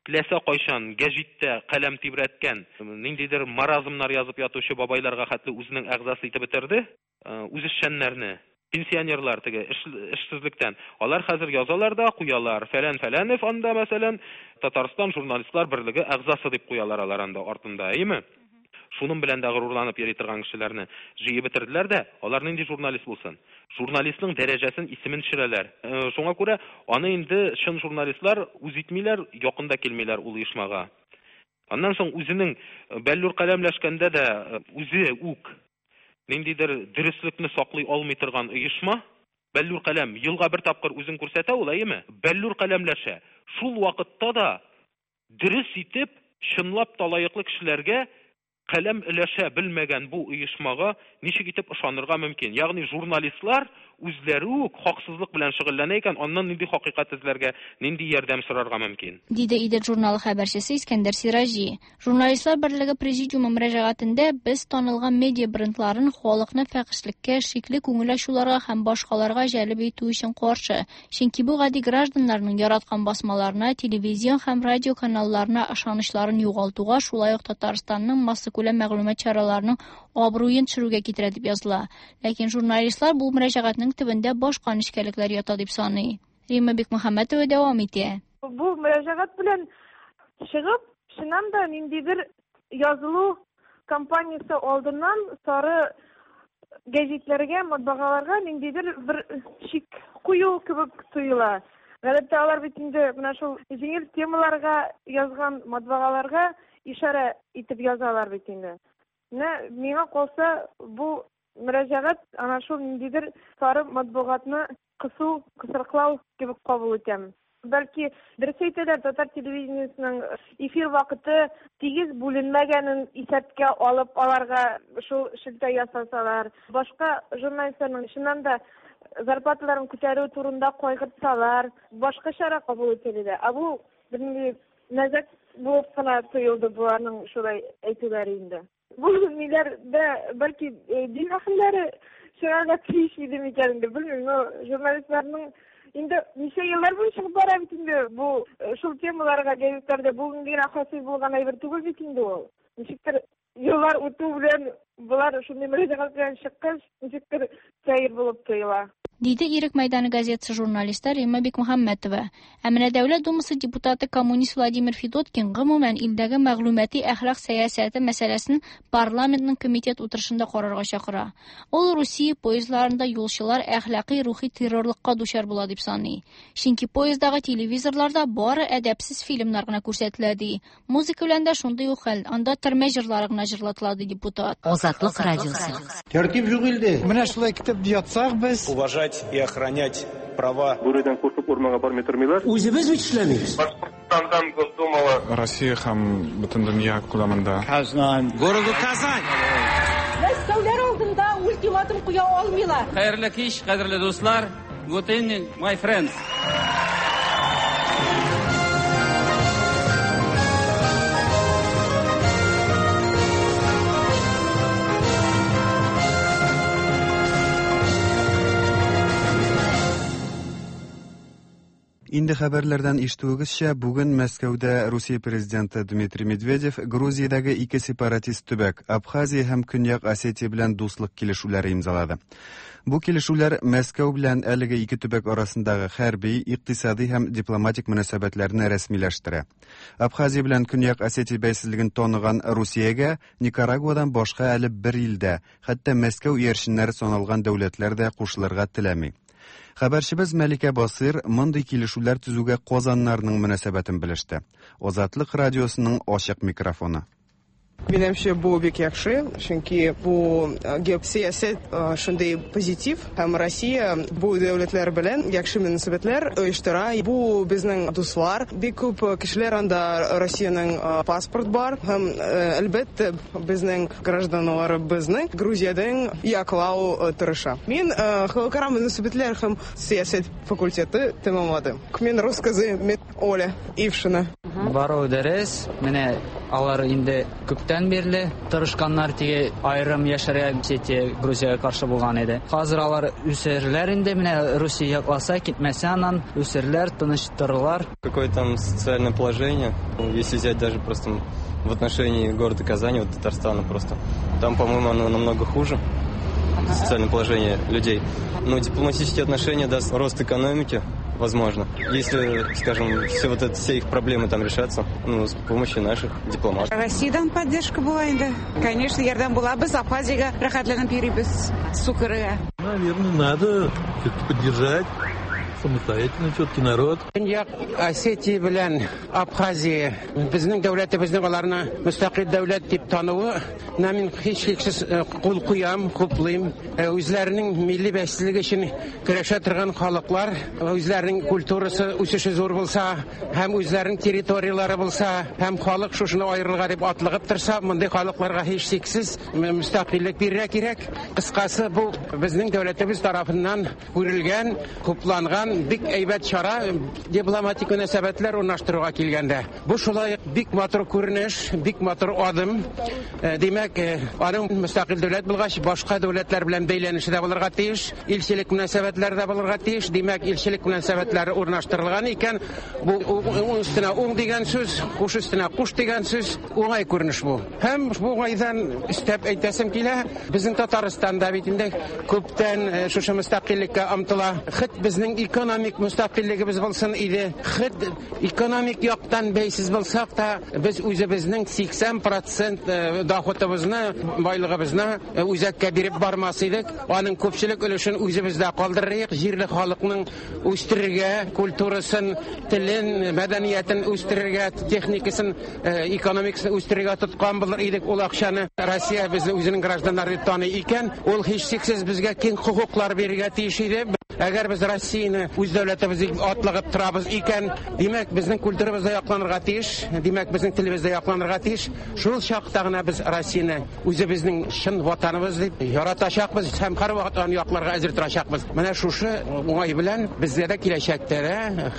теләсә кайчан гәҗиттә каләм тибрәткән, ниндидер маразмнар язып ятучы бабайларга хәтле үзенең әгъзасы итеп бетерде, үзешчәннәрне, пенсионерлар теге эшсезлектән. Алар хәзер язалар да куялар. Фәлән Фәләнев анда, мәсәлән, Татарстан Журналистлар берлеге әгъзасы дип куялар алар анда артында, әйеме? Шуның белән дә горурланып йөри торган кешеләрне җыеп бетерделәр дә, алар нинди журналист булсын? Журналистның дәрәҗәсен, исемен төшерәләр. Шуңа күрә аны инде чын журналистлар үз итмиләр, якында килмиләр ул оешмага. Аннан соң үзенең бәллүр каләмләшкәндә дә үзе үк ниндидер дөреслекне саклый алмый торган оешма, бәллүр каләм елга бер тапкыр үзен күрсәтә ул, әйеме? Бәллүр каләмләшә. Шул вакытта да дөрес итеп, чынлап та лаеклы кешеләргә Каләм өләшә белмәгән бу оешмага ничек итеп ышанырга мөмкин? Ягъни журналистлар үзләре үк хаксызлык белән шөгыльләнә икән, аннан нинди хакыйкать эзләргә, нинди ярдәм сорарга мөмкин? Диде Идел журналы хәбәрчесе Искәндәр Сираҗи. Журналистлар берлеге президиумы мөрәҗәгатендә без танылган медиа брендларын халыкны фәхишлеккә, шикле күңел ачуларга һәм башкаларга җәлеп итү өчен каршы. Чөнки бу гади гражданнарның яраткан басмаларына, телевизион һәм радио каналларына ышанычларын югалтуга, шулай ук Татарстанның массакүләм мәгълүмат чараларының абруен төшерүгә китерә дип языла. Ләкин журналистлар бу мөрәҗәгатьнең төбендә башка нечкәлекләр ята дип саный. Римма Бикмөхәммәтова дәвам итә. Бу мөрәҗәгать белән чыгып, чыннан да ниндидер язылу кампаниясе алдыннан сары гәзитләргә, матбагаларга ниндидер бер шик кую кебек тоела. Гадәттә алар бит инде менә шул җиңел темаларга язган матбагаларга ишарә итеп язалар бит инде. Менә миңа калса, бу мөрәҗәгать ана шул ниндидер сары матбугатны кысу, кысрыклау кебек кабул итәм. Бәлки дөрес әйтәләр, татар телевидениесының эфир вакыты тигез бүленмәгәнен исәпкә алып, аларга шул шелтә ясасалар, башка журналистларның чыннан да зарплаталарын күтәрү турында кайгыртсалар, башка чара кабул ителде. Ә бу бернинди мәзәк булып кына тоелды буларның шулай әйтүләре инде. Бу ниләр дә бәлки дин әһелләре чыгарга тиеш иде микән инде, белмим, но журналистларның инде ничә еллар буе чыгып бара бит инде бу шул темаларга гәзитләрдә бүген генә хасил булган әйбер түгел бит инде ул. Ничектер еллар үтү белән болар шундый мөрәҗәгать белән чыккач, ничектер сәер булып тоела. Диде Ирек мәйданы газетасы журналисты Римма Бикмөхәммәтова. Ә менә Дәүләт Думасы депутаты коммунист Владимир Федоткин гомумән илдәге мәгълүмати әхлак сәясәте мәсьәләсен парламентның комитет утырышында карарга чакыра. Ул Русия поездларында юлчылар әхлакый рухи террорлыкка дучар була дип саный. Чөнки поезддагы телевизорларда бары әдәпсез фильмнар гына күрсәтелә ди. Музыка белән дә шундый ук хәл. Анда төрмә җырлары гына җырлатыла ди депутат. Азатлык радиосы. Тәртип юк илдә. Менә шулай китеп ятсак без. Уважать и охранять права. Бүредән куркып урманга бармый тормыйлар. Үзебез бит эшләмибез. Башкортстандан Госдумала. Россия һәм бөтен дөнья күләмендә. Казан. Городу Казань. Мәскәүләр алдында ультиматум куя алмыйлар. Хәерле кич, кадерле дуслар. Good evening, my friends. Инде хәбәрләрдән ишетүегезчә, бүген Мәскәүдә Русия президенты Дмитрий Медведев Грузиядәге ике сепаратист төбәк Абхазия һәм Көньяк Осетия белән дуслык килешүләре имзалады. Бу килешүләр Мәскәү белән әлеге ике төбәк арасындагы хәрби, икътисади һәм дипломатик мөнәсәбәтләрне рәсмиләштерә. Абхазия белән Көньяк Осетия бәйсезлеген таныган Русиягә Никарагуадан башка әле бер илдә, хәтта Мәскәү иярченнәре саналган дәүләтләр дә кушылырга теләми. Хәбәрчебез Мәликә Басыр мондый килешүләр төзүгә Казаннарның мөнәсәбәтен белеште. Азатлык радиосының ачык микрофоны. Минемчә, бу бик яхшы, чөнки бу геосәясәт шундый позитив, һәм Россия бу дәүләтләр белән яхшы мөнәсәбәтләр оештыра. Бу безнең дуслар, бик күп кешеләр анда Россиянең паспорт бар, һәм әлбәттә безнең гражданнарыбызның Грузиядән яклау тырыша. Мин халыкара мөнәсәбәтләр һәм сәясәт факультеты тәмамладым. Мин рус кызы, мин Оля Ившина. Бару дәрес, менә алар инде күптән бирле тырышканнар, теге айрым яшәргә Осетия Грузиягә каршы булган иде. Хәзер алар үсерләр инде, менә Русия якласа, китмәсә аннан үсерләр, тыныштырырлар. Какое там социальное положение, если взять даже просто в отношении города Казани, вот Татарстана просто, там, по-моему, оно намного хуже, социальное положение людей. Но дипломатические отношения даст рост экономики, возможно, если, скажем, все вот это, все их проблемы там решатся, ну, с помощью наших дипломатов. Россиядан поддержка була инде. Конечно, ярдәм була. Без Абхазиягә рәхәтләнеп йөрибез, су керергә. Наверное, надо все-таки поддержать Самостоятельный четкий народ. Көньяк Осетия белән Абхазия безнең дәүләтебезнең аларны мөстәкыйль дәүләт дип тануы, мин һичшиксез кул куям, хуплыйм. Үзләренең милли бәйсезлеге өчен көрәшә торган халыклар, үзләренең культурасы үсеше зур булса, һәм үзләренең территорияләре булса, һәм халык шушыны аерылга дип атлыгып торса, мондый халыкларга һичшиксез мөстәкыйльлек бирергә кирәк. Кыскасы, бу безнең дәүләтебез тарафыннан күрелгән, хупланган бик әйбәт чара дипломатик мөнәсәбәтләр урнаштыруга килгәндә. Бу шулай бик матур күренеш, бик матур адым. Димәк, аның мөстәкыйль дәүләт булгач, башка дәүләтләр белән бәйләнеше дә булырга тиеш, илчелек мөнәсәбәтләре дә булырга тиеш. Димәк, илчелек мөнәсәбәтләре урнаштырылган икән, бу уң өстенә уң дигән сүз, куш өстенә куш дигән сүз, уңай күренеш бу. Һәм бу уңайдан өстәп әйтәсем килә, безнең Татарстанда бит инде күптән шушы мөстәкыйльлеккә омтыла. Хет безнең экономик мөстәкыйльлегебез булсын иде. Хет экономик яктан бәйсез булсак та, без үзебезнең сиксән процент доходыбызны, байлыгыбызны үзәккә биреп бармас идек. Аның күпчелек өлешен үзебездә калдырыйк. Җирле халыкның үстерергә, культурасын, телен, мәдәниятен үстерергә, техникасын, экономикасын үстерергә тоткан булыр идек ул акчаны. Россия безне үзенең гражданнары дип таный икән, ул һичшиксез безгә киң хокуклар бирергә тиеш иде. Әгәр без Россияне үз дәүләтебез дип атлыгып торабыз икән, димәк, безнең культурабыз да якланырга тиеш, димәк, безнең телебез дә якланырга тиеш. Шул чакта гына без Россияне үзебезнең чын ватаныбыз дип яратачакбыз һәм һәрвакыт аны якларга әзер торачакбыз. Менә шушы уңай белән безгә дә киләчәктә дә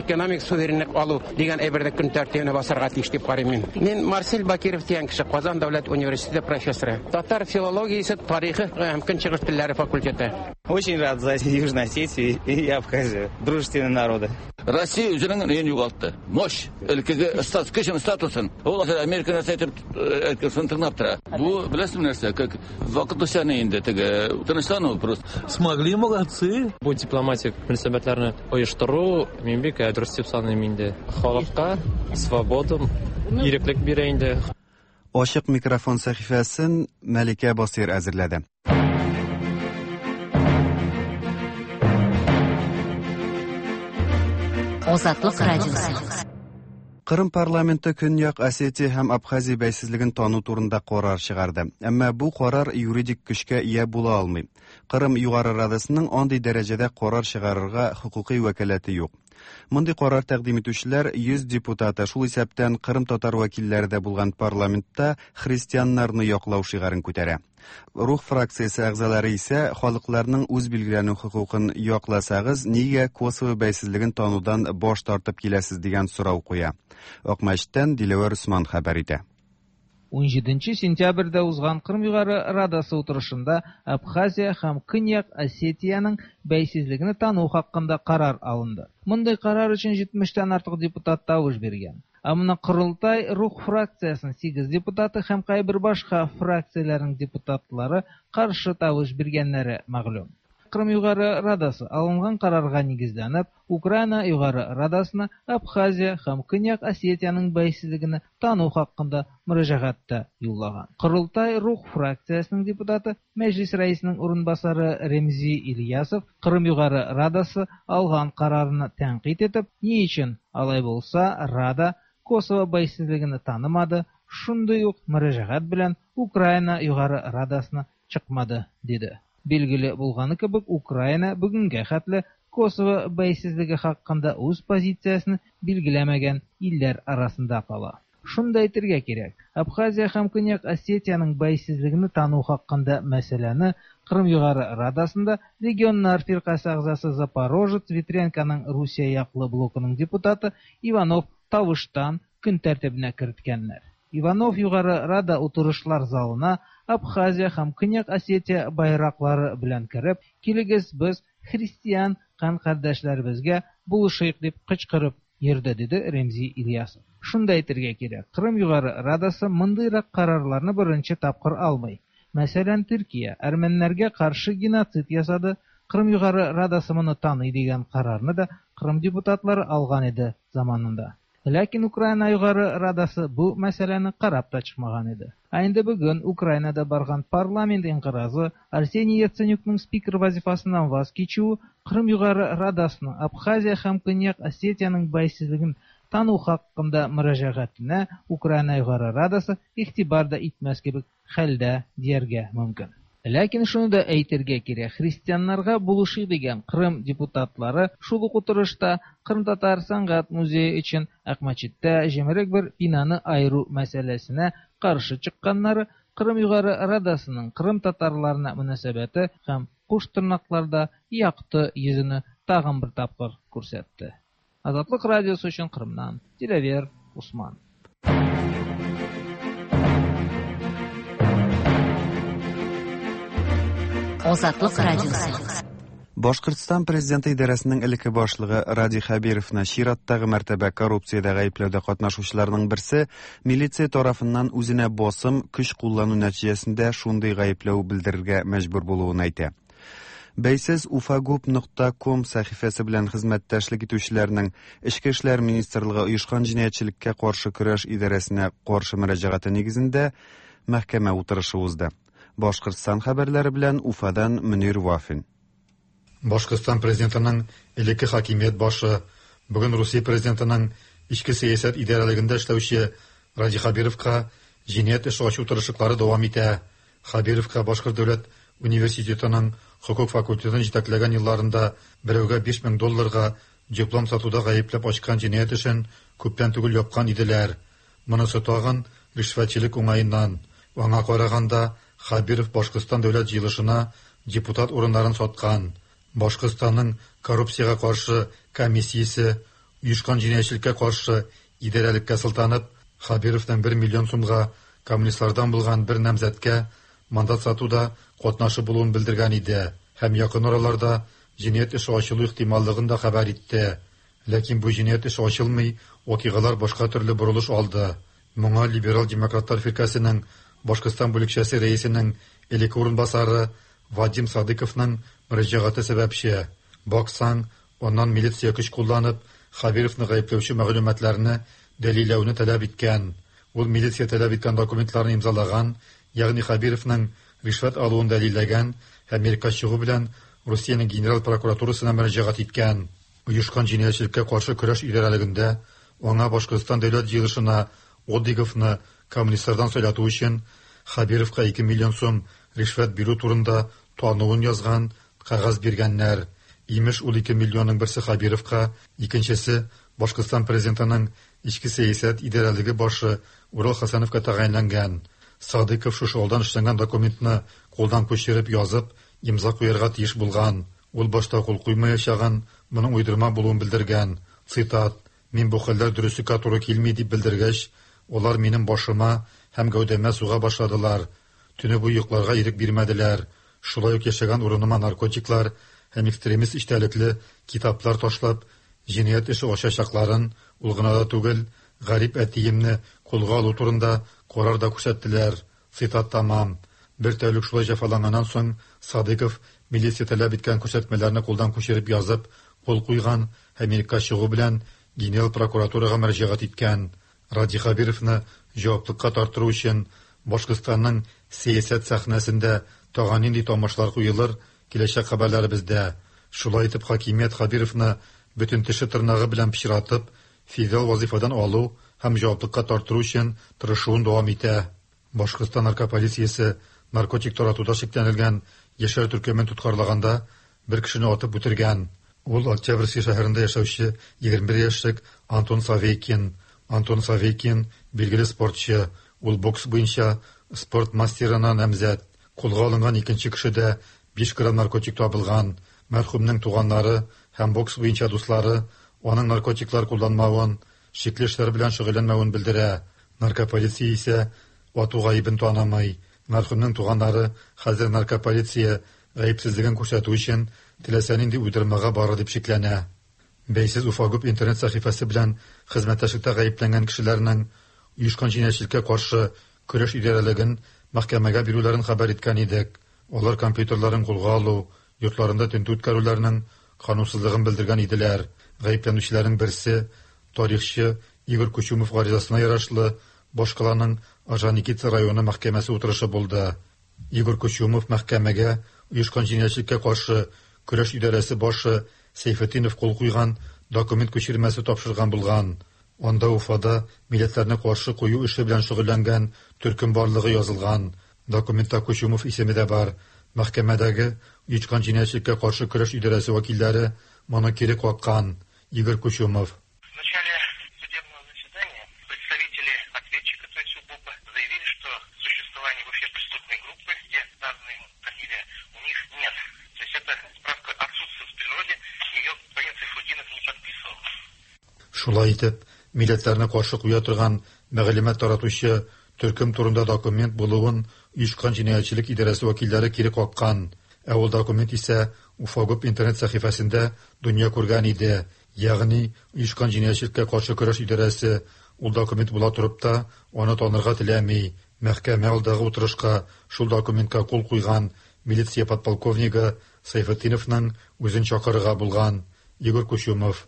экономик суверенлык алу дигән әйберне көн тәртибенә басарга тиеш дип карыйм мин. Мин Марсель Бакиров дигән кеше, Казан дәүләт университеты профессоры, татар филологиясе, тарихы һәм көнчыгыш телләре факультеты. Очень рад за Южную Осетию и Абхазию, дружественные народы. Россия үзенең нен югалтты. Мощь, өлкәгә статус, кешенең статусын. Ул Америка нәрсә әйтеп, әйткән тыңлап тора. Бу беләсезме нәрсә, как вакытлыча инде теге тынычлану просто. Смогли, молодцы. Бу дипломатик мөнәсәбәтләрне оештыру мин бик дөрес дип саныйм инде. Халыкка свобода, иреклек бирә инде. Ачык микрофон сәхифәсен Мәликә Басир әзерләде. Азатлык радиосы. Кырым парламенты Көньяк Осетия һәм Абхазия бәйсезлеген тану турында карар чыгарды. Әмма бу карар юридик көчкә ия була алмый. Кырым Югары Радасының андый дәрәҗәдә карар чыгарырга хокукый вәкаләте юк. Мондый карар тәкъдим итүчеләр йөз депутаты, шул исәптән Кырым татар вәкилләре дә булган парламентта христианнарны яклау шигарен күтәрә. Рух фракциясе әгъзалары исә халыкларның үз билгеләнү хокукын якласагыз, нигә Косово бәйсезлеген танудан баш тартып киләсез дигән сорау куя. Акмәчеттән Диләвәр Усман хәбәр итә. ун җиденче сентябрьдә узган Кырым Югары Радасы утырышында Абхазия һәм Көньяк Осетиянең бәйсезлеген тану хакында карар алынды. Мондый карар өчен җитмештән артык депутат тавыш биргән. Ә моны Корылтай Рух фракциясының сигез депутаты һәм кайбер башка фракцияләрнең депутатлары каршы тавыш биргәннәре мәгълүм. Кырым Югары Радасы алынган карарга нигезләнеп, Украина Югары Радасына Абхазия һәм Көньяк Осетиянең бәйсезлеген тану хакында мөрәҗәгать тә юллаган. Корылтай Рух фракциясенең депутаты, Мәҗлис рәисенең урынбасары Ремзи Ильясов Кырым Югары Радасы алган карарны тәнкыйть итеп, ни өчен алай булса Рада Косово бәйсезлеген танымады, шундый ук мөрәҗәгать белән Украина Югары Радасына чыкмады, диде. Билгеле булганы кебек, Украина бүгенгә хәтле Косово бәйсезлеге хакында үз позициясен билгеләмәгән илләр арасында кала. Шунда әйтергә кирәк, Абхазия һәм Көньяк Осетиянең бәйсезлеген тану хакында мәсьәләне Кырым Югары Радасында регионнар фиркасе әгъзасы Запорожец Ветренконың Русия яклы блокының депутаты Иванов тавыштан көн тәртибенә керткәннәр. Иванов Югары Рада утырышлар залына Абхазия һәм Көньяк Осетия байраклары белән кереп, килегез без христиан кан кардәшләребезгә булышыйк дип кычкырып йөрде, диде Ремзи Ильясов. Шунда әйтергә кирәк, Кырым Югары Радасы мондыйрак карарларны беренче тапкыр алмый. Мәсәлән, Төркия әрмәннәргә каршы геноцид ясады, Кырым Югары Радасы моны таный дигән карарны да Кырым депутатлары алган иде заманында. Ләкин Украина Югары Радасы бу мәсьәләне карап та чыкмаган иде. Ә инде бүген Украинада барган парламент инкыразы Арсений Яценюкның спикер вазифасыннан ваз кичүе Кырым Югары Радасының Абхазия һәм Көньяк Осетиянең бәйсезлеген тану хакында мөрәҗәгатенә Украина Югары Радасы игътибар да итмәс кебек хәлдә дияргә мөмкин. Ләкин шуны да әйтергә кирәк, христианнарга булышы дигән Кырым депутатлары шул ук утырышта Кырым татар сәнгать музее өчен Акмәчеттә җимерек бер бинаны айыру мәсьәләсенә каршы чыкканнары Кырым Югары Радасының Кырым татарларына мөнәсәбәте һәм куш тырнакларда якты йөзене тагын бер тапкыр күрсәтте. Азатлык радиосы өчен Кырымнан Диләвер Усман. Азатлык радиосы. Башкортстан президенты идарәсенең элекке башлыгы Радий Хәбировны чираттагы мәртәбә коррупциядә гаепләүдә катнашучыларның берсе милиция тарафыннан үзенә басым, көч куллану нәтиҗәсендә шундый гаепләү белдерергә мәҗбүр булуын әйтә. Бәйсез уфагуп нокта ком сәхифәсе белән хезмәттәшлек итүчеләрнең Эчке эшләр министрлыгы оешкан җинаятьчелеккә каршы көрәш идарәсенә каршы мөрәҗәгате нигезендә мәхкәмә утырышы узды. Башкортстан хәбәрләре белән Уфадан Мөнир Вафин. Башкортстан президентының элекке хакимият башы, бүген Русия президентының эчке сәясәт идарәлегендә эшләүче Радий Хәбировка җинаять эше ачу тырышлыклары дәвам итә. Хәбировка Башкорт дәүләт университетының хокук факультетын җитәкләгән елларында берәүгә биш мең долларга диплом сатуда гаепләп ачкан җинаять эшен күптән түгел япкан иделәр. Монысы тагын ришвәтчелек уңаеннан. Аңа караганда Хәбиров Башкортстан дәүләт җыелышына депутат урыннарын саткан. Башкортстанның коррупциягә каршы комиссиясе оешкан җинаятьчелеккә каршы идарәлеккә сылтанып, Хәбировның бер миллион сумга коммунистлардан булган бер намзәткә мандат сатуда катнашы булуын белдергән иде һәм якын араларда җинаять эше ачылу ихтималлыгын да хәбәр итте. Ләкин бу җинаять эше ачылмый, вакыйгалар башка төрле борылыш алды. Моңа либерал демократлар фиркәсенең Башкортстан бүлекчәсе рәисенең элекке урынбасары Вадим Садыковның мөрәҗәгате сәбәпче. Баксаң, аннан милиция көч кулланып, Хәбировны гаепләүче мәгълүматларны дәлилләүне таләп иткән. Ул милиция таләп иткән документларны имзалаган, ягъни Хәбировның ришвәт алуын дәлилләгән һәм иреккә чыгу белән Русиянең генераль прокуратурасына мөрәҗәгать иткән. Оешкан җинаятьчелеккә каршы көрәш идарәлегендә аңа Башкортстан дәүләт җыелышына Одиговны коммунистлардан сайлату өчен Хәбировка ике миллион сум ришвәт бирү турында тануын язган кәгазь биргәннәр. Имеш, ул ике миллионның берсе Хәбировка, икенчесе Башкортстан президентының эчке сәясәт идарәлеге башы Урал Хәсәновка тәгаенләнгән. Садыков шушы алдан эшләнгән документны кулдан күчереп язып, имза куярга тиеш булган. Ул башта кул куймаячагын, моның уйдырма булуын белдергән. Цитат: "Мин бу хәлләр дөреслеккә туры килми дип белдергәч, алар минем башыма һәм гәүдәмә суга башладылар. Төне буе йокларга ирек бирмәделәр. Шулай ук яшәгән урыныма наркотиклар һәм экстремист эчтәлекле китаплар ташлап, җинаять эше ачачакларын, ул гына да түгел, гарип әтиемне кулга алу турында карар да күрсәттеләр." Цитат тамам. Бер тәүлек шулай җәфаланганнан соң Садыков милиция таләп иткән күрсәтмәләрне кулдан күчереп язып, кул куйган һәм иреккә чыгу белән генераль прокуратурага мөрәҗәгать иткән. Радий Хәбировны җаваплылыкка тарттыру өчен Башкортстанның сәясәт сәхнәсендә тагын нинди тамашлар куелыр, киләчәк хәбәрләребездә. Шулай итеп, хакимият Хәбировны бөтен теше тырнагы белән пычратып, федераль вазифадан алу һәм җаваплылыкка тарттыру өчен тырышуын дәвам итә. Башкортстан наркополициясе наркотик таратуда шикләнелгән яшьләр төркемен тоткарлаганда бер кешене атып үтергән. Ул Октябрьский шәһәрендә яшәүче егерме бер яшьлек Антон Савейкин. Антон Савейкин билгеле спортчы, ул бокс буенча спорт мастерына намзәт. Кулга алынган икенче кешедә биш грамм наркотик табылган. Мәрхүмнең туганнары һәм бокс буенча дуслары аның наркотиклар кулланмавын, шикле эшләр белән шөгыльләнмәвен белдерә. Наркополиция исә ату гаебен танымый. Мәрхүмнең туганнары хәзер наркополиция гаепсезлеген күрсәтү өчен теләсә нинди уйдырмага бара дип шикләнә. Бәйсез Уфагуп интернет сәхифәсе белән хезмәттәшлектә гаепләнгән кешеләрнең оешкан җинаятьчелеккә каршы көрәш идарәлеген мәхкәмәгә бирүләрен хәбәр иткән идек. Алар компьютерларын кулга алу, йортларында тентү үткәрүләрнең канунсызлыгын белдергән иделәр. Гаепләнүчеләрнең берсе тарихчы Игорь Кучумов гаризасына ярашлы башкаланың Орджоникидзе районы мәхкәмәсе утырышы булды. Игорь Кучумов мәхкәмәгә оешкан җинаятьчелеккә каршы көрәш идарәсе башы Сейфетдинов кул куйган документ күчермәсе тапшырган булган. Анда Уфада милләтләрне каршы кую эше белән шөгыльләнгән төркем барлыгы язылган. Документта Кучумов исеме дә бар. Мәхкәмәдәге оешкан җинаятьчелеккә каршы көрәш идарәсе вәкилләре моны кире каккан. Игорь Кучумов: В начале судебного заседания представители ответчика, то есть УБОПа, заявили, что существование вообще преступной группы, где названа ему фамилия, у них нет. То есть эта справка отсутствует в природе, ее господин Сайфутдинов не подписывал. Шулай итеп, милләтләрне каршы куя торган мәгълүмат таратучы төркем турында документ булуын оешкан җинаятьчелек идарәсе вәкилләре кире каккан. Ә ул документ исә Уфагуб интернет сәхифәсендә дөнья күргән иде. Ягъни оешкан җинаятьчелеккә каршы көрәш идарәсе ул документ була торып та аны танырга теләми. Мәхкәмә алдагы утырышка шул документка кул куйган милиция подполковнигы Сайфетдиновның үзен чакырырга булган. Игорь Кучумов: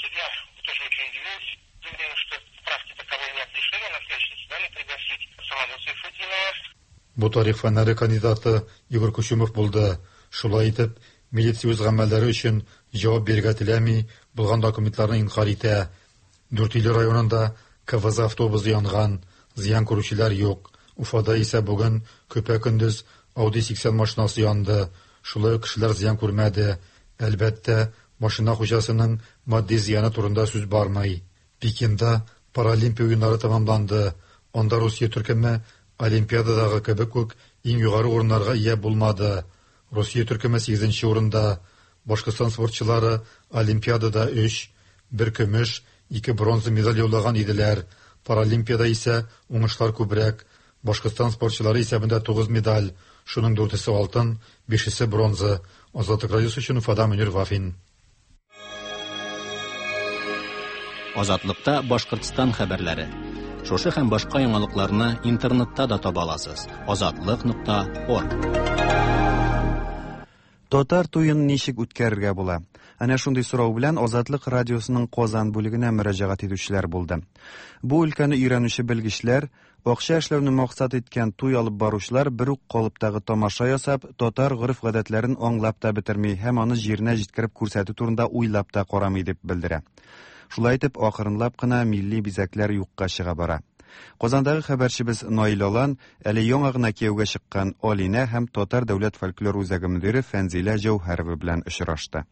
Судья тоже очень удивился, заявил, что справки таковой нет, решили на следующем заседании пригласить самого Сайфутдинова. Бу тарих фәннәре кандидаты Игорь Кучумов булды. Шулай итеп, милиция үз гамәлләре өчен җавап бирергә теләми, булган документларны инкар итә. Дүртөйле районында К В З автобусы янган, зыян күрүчеләр юк. Уфада исә бүген көпә-көндез Audi сиксән машинасы янды. Шулай ук кешеләр зыян күрмәде. Әлбәттә, машина хуҗасының матди зыяны турында сүз бармый. Пекинда Паралимпия уеннары тәмамланды. Анда Русия төркеме Олимпиададагы кебек үк иң югары урыннарга ия булмады. Русия төркеме сигезенче урында. Башкортстан спортчылары Олимпиадада өч, бер көмеш, ике бронза медаль яулаган иделәр. Паралимпиада исә уңышлар күбрәк. Башкортстан спортчылары исәбендә тугыз медаль, шуның дүртесе алтын, бишесе бронза. Азатлык радиосы өчен Уфада Мөнир Вафин. Азатлыкта Башкортстан хәбәрләре. Шушы һәм башка яңалыкларны интернетта да таба аласыз. Азатлык нокта орг. Татар туен ничек үткәрергә була? Әнә шундый сорау белән Азатлык радиосының Казан бүлегенә мөрәҗәгать итүчеләр булды. Бу өлкәне өйрәнүче белгечләр, акча эшләүне максат иткән туй алып баручылар бер үк калыптагы тамаша ясап, татар гореф-гадәтләрен аңлап та бетерми һәм аны җиренә җиткереп күрсәтү турында уйлап та карамый дип белдерә. Шулай итеп, акрынлап кына милли бизәкләр юкка чыга бара. Казандагы хәбәрчебез Наил Алан әле яңа гына кияүгә чыккан Алинә һәм Татар дәүләт фольклор үзәге мөдире Фәнзилә Җәүһәрова белән очрашты.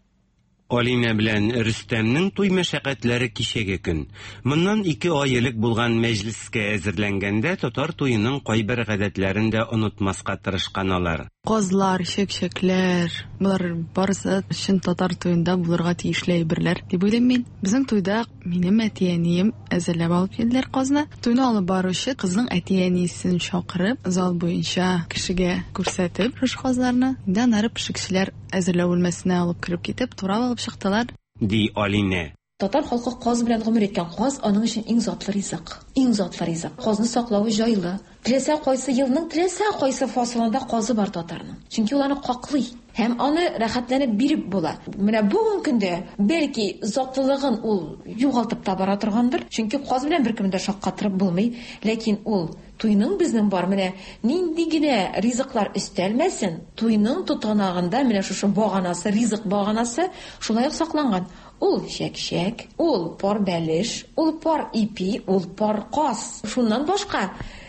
Алинә белән Рөстәмнең туй мәшәкатьләре кичәге көн. Моннан ике ай элек булган мәҗлескә әзерләнгәндә татар туеның кайбер гадәтләрен дә онытмаска тырышкан алар. Казлар, чәкчәкләр, болар барысы чын татар туенда булырга тиешле әйберләр дип уйлыйм мин. Безнең туйда минем әти-әнием әзерләп алып килделәр казны. Туйны алып баручы кызның әти-әнисен чакырып, зал буенча кешегә күрсәтеп шушы казларны, инде аннары пешекчеләр әзерләү бүлмәсенә алып кереп китеп, турап алып чыктылар. Ди Алинә. Татар халкы каз белән гомер иткән. Каз аның өчен иң затлы ризык. Иң затлы ризык. Казны саклавы җайлы. Теләсә кайсы елның теләсә кайсы фасылында казы бар татарның. Чөнки ул аны каклый һәм аны рәхәтләнеп биреп була. Менә бүгенге көндә бәлки затлылыгын ул югалтып та бара торгандыр. Чөнки каз белән беркемне дә шаккатырып булмый. Ләкин ул туйның безнең бар менә нинди генә ризыклар өстәлмәсен, туйның тотанагында менә шушы баганасы, ризык баганасы шулай ук сакланган. Ул чәкчәк, ул пар бәлеш, ул пар ипи, ул пар каз. Шуннан башка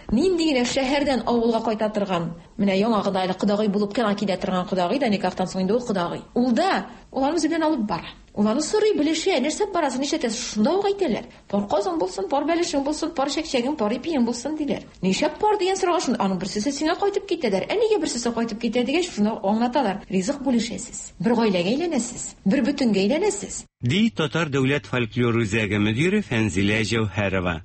нинди генә шәһәрдән авылга кайта торган, менә яңа гына әле кодагый булып кына килә торган кодагый да никахтан соң инде ул кодагый. Ул да уларны үзе белән алып бара. Уларны сорый, белешә, нәрсә барасың, нишләтәсең, шунда ук әйтәләр. Пар казың булсын, пар бәлешең булсын, пар чәкчәгең, пар ипиең булсын диләр. Нишләп пар дигән сорауга шунда аның берсесе сиңа кайтып китәләр. Ә нигә берсесе кайтып китә дигәч, шунда аңлаталар. Ризык бүлешәсез. Бер гаиләгә әйләнәсез, бер бөтенгә әйләнәсез. Ди Татар дәүләт фольклор үзәге мөдире Фәнзилә Җәүһәрова.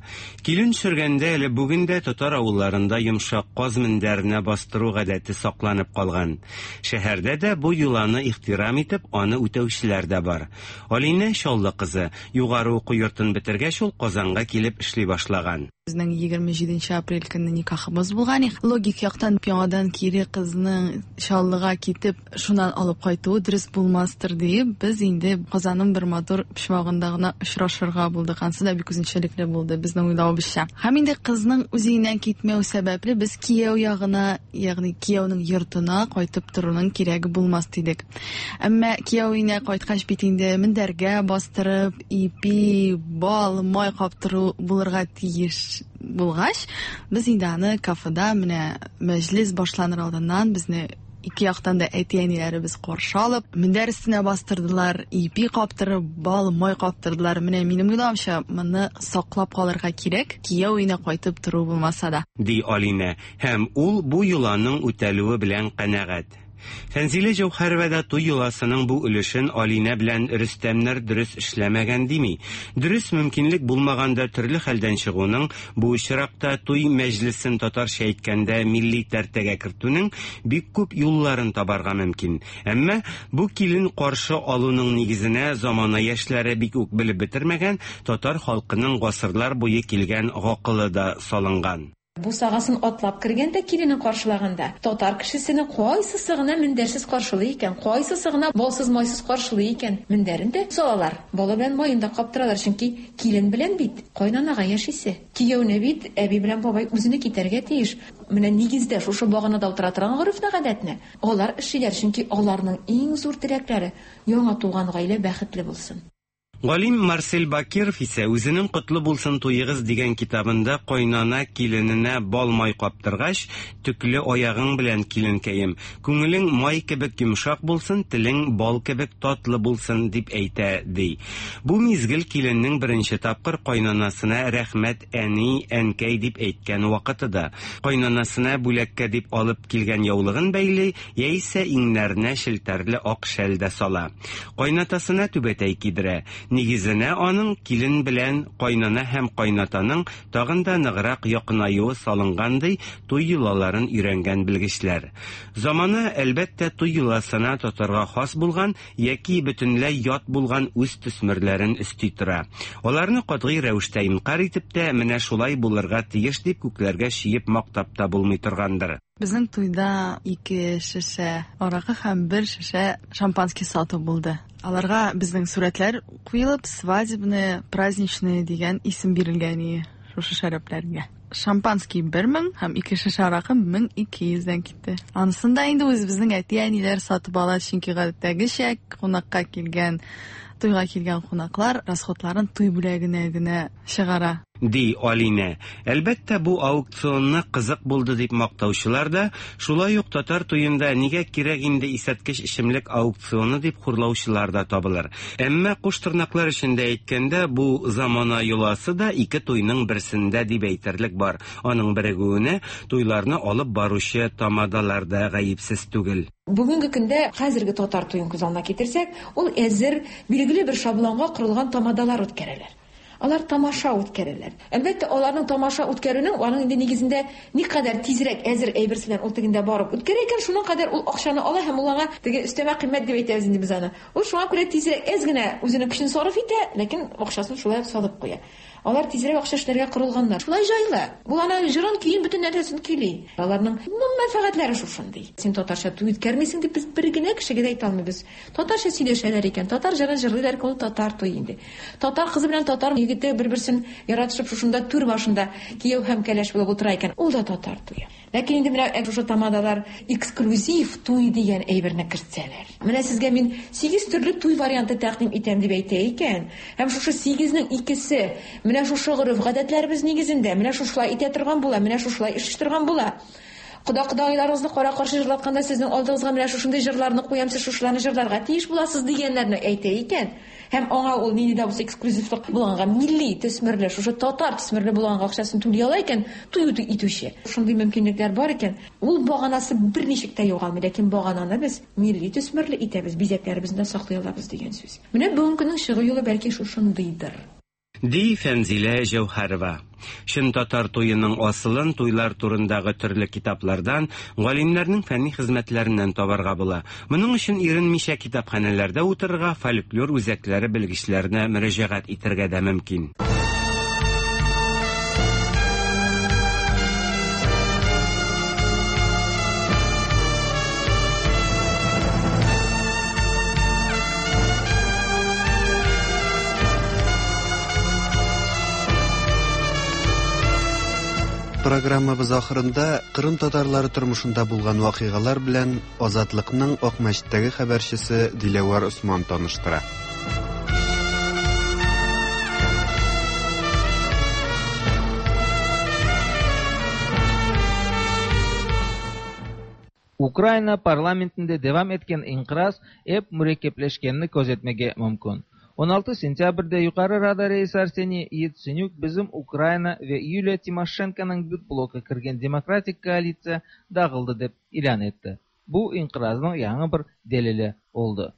Килен төшергәндә әле бүген дә татар авылларында йомшак каз мендәренә бастыру гадәте сакланып калган. Шәһәрдә дә бу йоланы ихтирам итеп, аны үтәүчеләр дә бар. Алинә Чаллы кызы. Югары уку йортын бетергәч, ул Казанга килеп эшли башлаган. Безнең егерме җиденче апрель көнне никахыбыз булган. Логик яктан яңадан кире кызның Чаллыга китеп, шуннан алып кайтуы дөрес булмастыр диеп, без инде Казанның бер матур почмагында гына очрашырга булдык. Ансы да бик үзенчәлекле булды безнең уйлавыбызча. Һәм инде кызның үз өеннән китмәү сәбәпле без кияү ягына, ягъни кияүнең йортына кайтып торуның кирәге булмас дидек. Әмма кияү өенә кайткач бит инде мендәргә бастырып, ипи, бал, май каптыру булырга тиеш булгач, без инде аны кафеда менә мәҗлес башланыр алдыннан безне ике яктан да әти-әниләребез каршы алып, мендәр өстенә бастырдылар, ипи каптырып, бал, май каптырдылар. Менә минем уйлавымча, моны саклап калырга кирәк, кияү өенә кайтып тору булмаса да. Ди Алинә, һәм ул бу йоланың үтәлүе белән канәгать. Фәнзилә Җәүһәрова да туй йоласының бу өлешен Алинә белән Рөстәмнәр дөрес эшләмәгән дими. Дөрес мөмкинлек булмаганда төрле хәлдән чыгуның, бу очракта туй мәҗлесен татарча әйткәндә милли тәртәгә кертүнең бик күп юлларын табарга мөмкин. Әмма бу килен каршы алуның нигезенә замана яшьләре бик үк белеп бетермәгән татар халкының гасырлар буе килгән гакылы да салынган. Бусагасын атлап кергәндә, киленен каршылаганда, татар кешесенең кайсысы гына мендәрсез каршылый икән, кайсысы гына балсыз-майсыз каршылый икән, мендәрен дә салалар, бала белән маен да каптыралар, чөнки килен белән бит кайнанага яшисе. Кияүне бит әби белән бабай үзене китәргә тиеш. Менә нигездә шушы баганада утыра торган гореф-гадәтне алар эшлиләр, чөнки аларның иң зур теләкләре яңа туган гаилә бәхетле булсын. Галим Марсель Бакиров исә үзенең «Котлы булсын туегыз» дигән китабында кайнана килененә бал май каптыргач, төкле аягың белән киленкәем, күңелең май кебек йомшак булсын, телең бал кебек татлы булсын дип әйтә, ди. Бу мизгел киленнең беренче тапкыр кайнанасына рәхмәт әни, әнкәй дип әйткән вакыты да. Кайнанасына бүләккә дип алып килгән яулыгын бәйли, яисә иңнәренә челтәрле ак шәл дә сала. Кайнатасына түбәтәй кидерә. Нигезенә аның килен белән кайнана һәм кайнатаның тагын да ныграк якынаюы салынган, ди туй йолаларын өйрәнгән белгечләр. Замана, әлбәттә, туй йоласына татарга хас булган яки бөтенләй ят булган үз төсмерләрен өсти тора. Аларны катгый рәвештә инкар итеп тә, менә шулай булырга тиеш дип күкләргә чиеп мактап та булмый торгандыр. Безнең туйда ике шешә аракы һәм бер шешә шампанский сатып булды. Аларга безнең сурәтләр куелып, свадебные, праздничные дигән исем бирелгән иде шушы шәрабләргә. Шампанский бер мең һәм ике шешә аракы мең ике йөздән китте. Анысын да инде үзебезнең әти-әниләр сатып ала, чөнки гадәттәгечә кунакка килгән, туйга килгән кунаклар расходларын туй бүләгенә генә чыгара. Ди Алинә. Әлбәттә, бу аукционны кызык булды дип мактаучылар да, шулай ук татар туенда нигә кирәк инде исәткеч эчемлек аукционы дип хурлаучылар да табылыр. Әмма куш тырнаклар эчендә әйткәндә, бу замана йоласы да ике туйның берсендә дип әйтерлек бар. Аның берегүенә туйларны алып баручы тамадалар да гаепсез түгел. Бүгенге көндә хәзерге татар туен күз алдына китерсәк, ул әзер билгеле бер шаблонга корылган тамадалар үткәрәләр. Алар тамаша үткәрәләр. Әлбәттә, аларның тамаша үткәрүнең аның инде нигезендә никадәр тизрәк әзер әйберсе белән ул тегендә барып үткәрә икән, шуның кадәр ул акчаны ала һәм ул аңа теге өстәмә кыйммәт дип әйтәбез инде без аны. Ул шуңа күрә тизрәк әз генә үзенең көчен сарыф итә, ләкин акчасын шулай салып куя. Алар тизрәк акча эшләргә корылганнар. Шулай җайлы. Ул ана җырын, көен, бөтен нәрсәсен көйли. Аларның мәнфәгатьләре шушындый. Син татарча туй үткәрмисең дип без бер генә кешегә дә әйтә алмыйбыз. Татарча сөйләшәләр икән, татар җырын җырлыйлар икән, ул татар туе инде. Татар кызы белән татар егете бер-берсен яратышып шушында түр башында кияү һәм кәләш булып утыра икән, ул да татар туе. Ләкин инде менә шушы тамадалар эксклюзив туй дигән әйберне кертсәләр. Менә сезгә мин сигез төрле туй варианты тәкъдим итәм дип әйтә икән. Һәм шушы сигезнең икесе менә шушы гореф-гадәтләребез нигезендә, менә шушылай итә торган була, менә шушылай эш торган була. Кода-кодагыйларыгызны кара-каршы җырлатканда сезнең алдыгызга менә шушындый җырларны куям, сез шушыларны җырларга тиеш буласыз дигәннәрне әйтә икән. Һәм аңа ул нинди дә булса эксклюзивлык булганга, милли төсмерле, шушы татар төсмерле булганга акчасын түли ала икән, туй итүче. Шундый мөмкинлекләр бар икән, ул баганасы берничек тә югалмый, ләкин багананы без милли төсмерле итәбез, бизәкләребезне дә саклый алабыз дигән сүз. Менә бүгенге көннең чыгу юлы бәлки шушындыйдыр. Ди Фәнзилә Җәүһәрова. Чын татар туеның асылын туйлар турындагы төрле китаплардан, галимнәрнең фәнни хезмәтләреннән табарга була. Моның өчен иренмичә китапханәләрдә утырырга, фольклор үзәкләре белгечләренә мөрәҗәгать итәргә дә мөмкин. Программабыз ахырында Кырым татарлары тормышында булган вакыйгалар белән Азатлыкның Акмәчеттәге хәбәрчесе Диләвәр Усман таныштыра. Ukraina parlamentinde devam etken inqiraz ep mürekkepleşkenini közetmege mümkün. on altı sentyabrde Yuqarı Rada reisi Arseniy Yatsenyuk bizim Ukraina ve Yuliya Timoşenkonıñ BYuT bloku kirgen demokratik koalitsiya dağıldı dep ilân etti. Bu inqiraznıñ yañı bir delili oldı.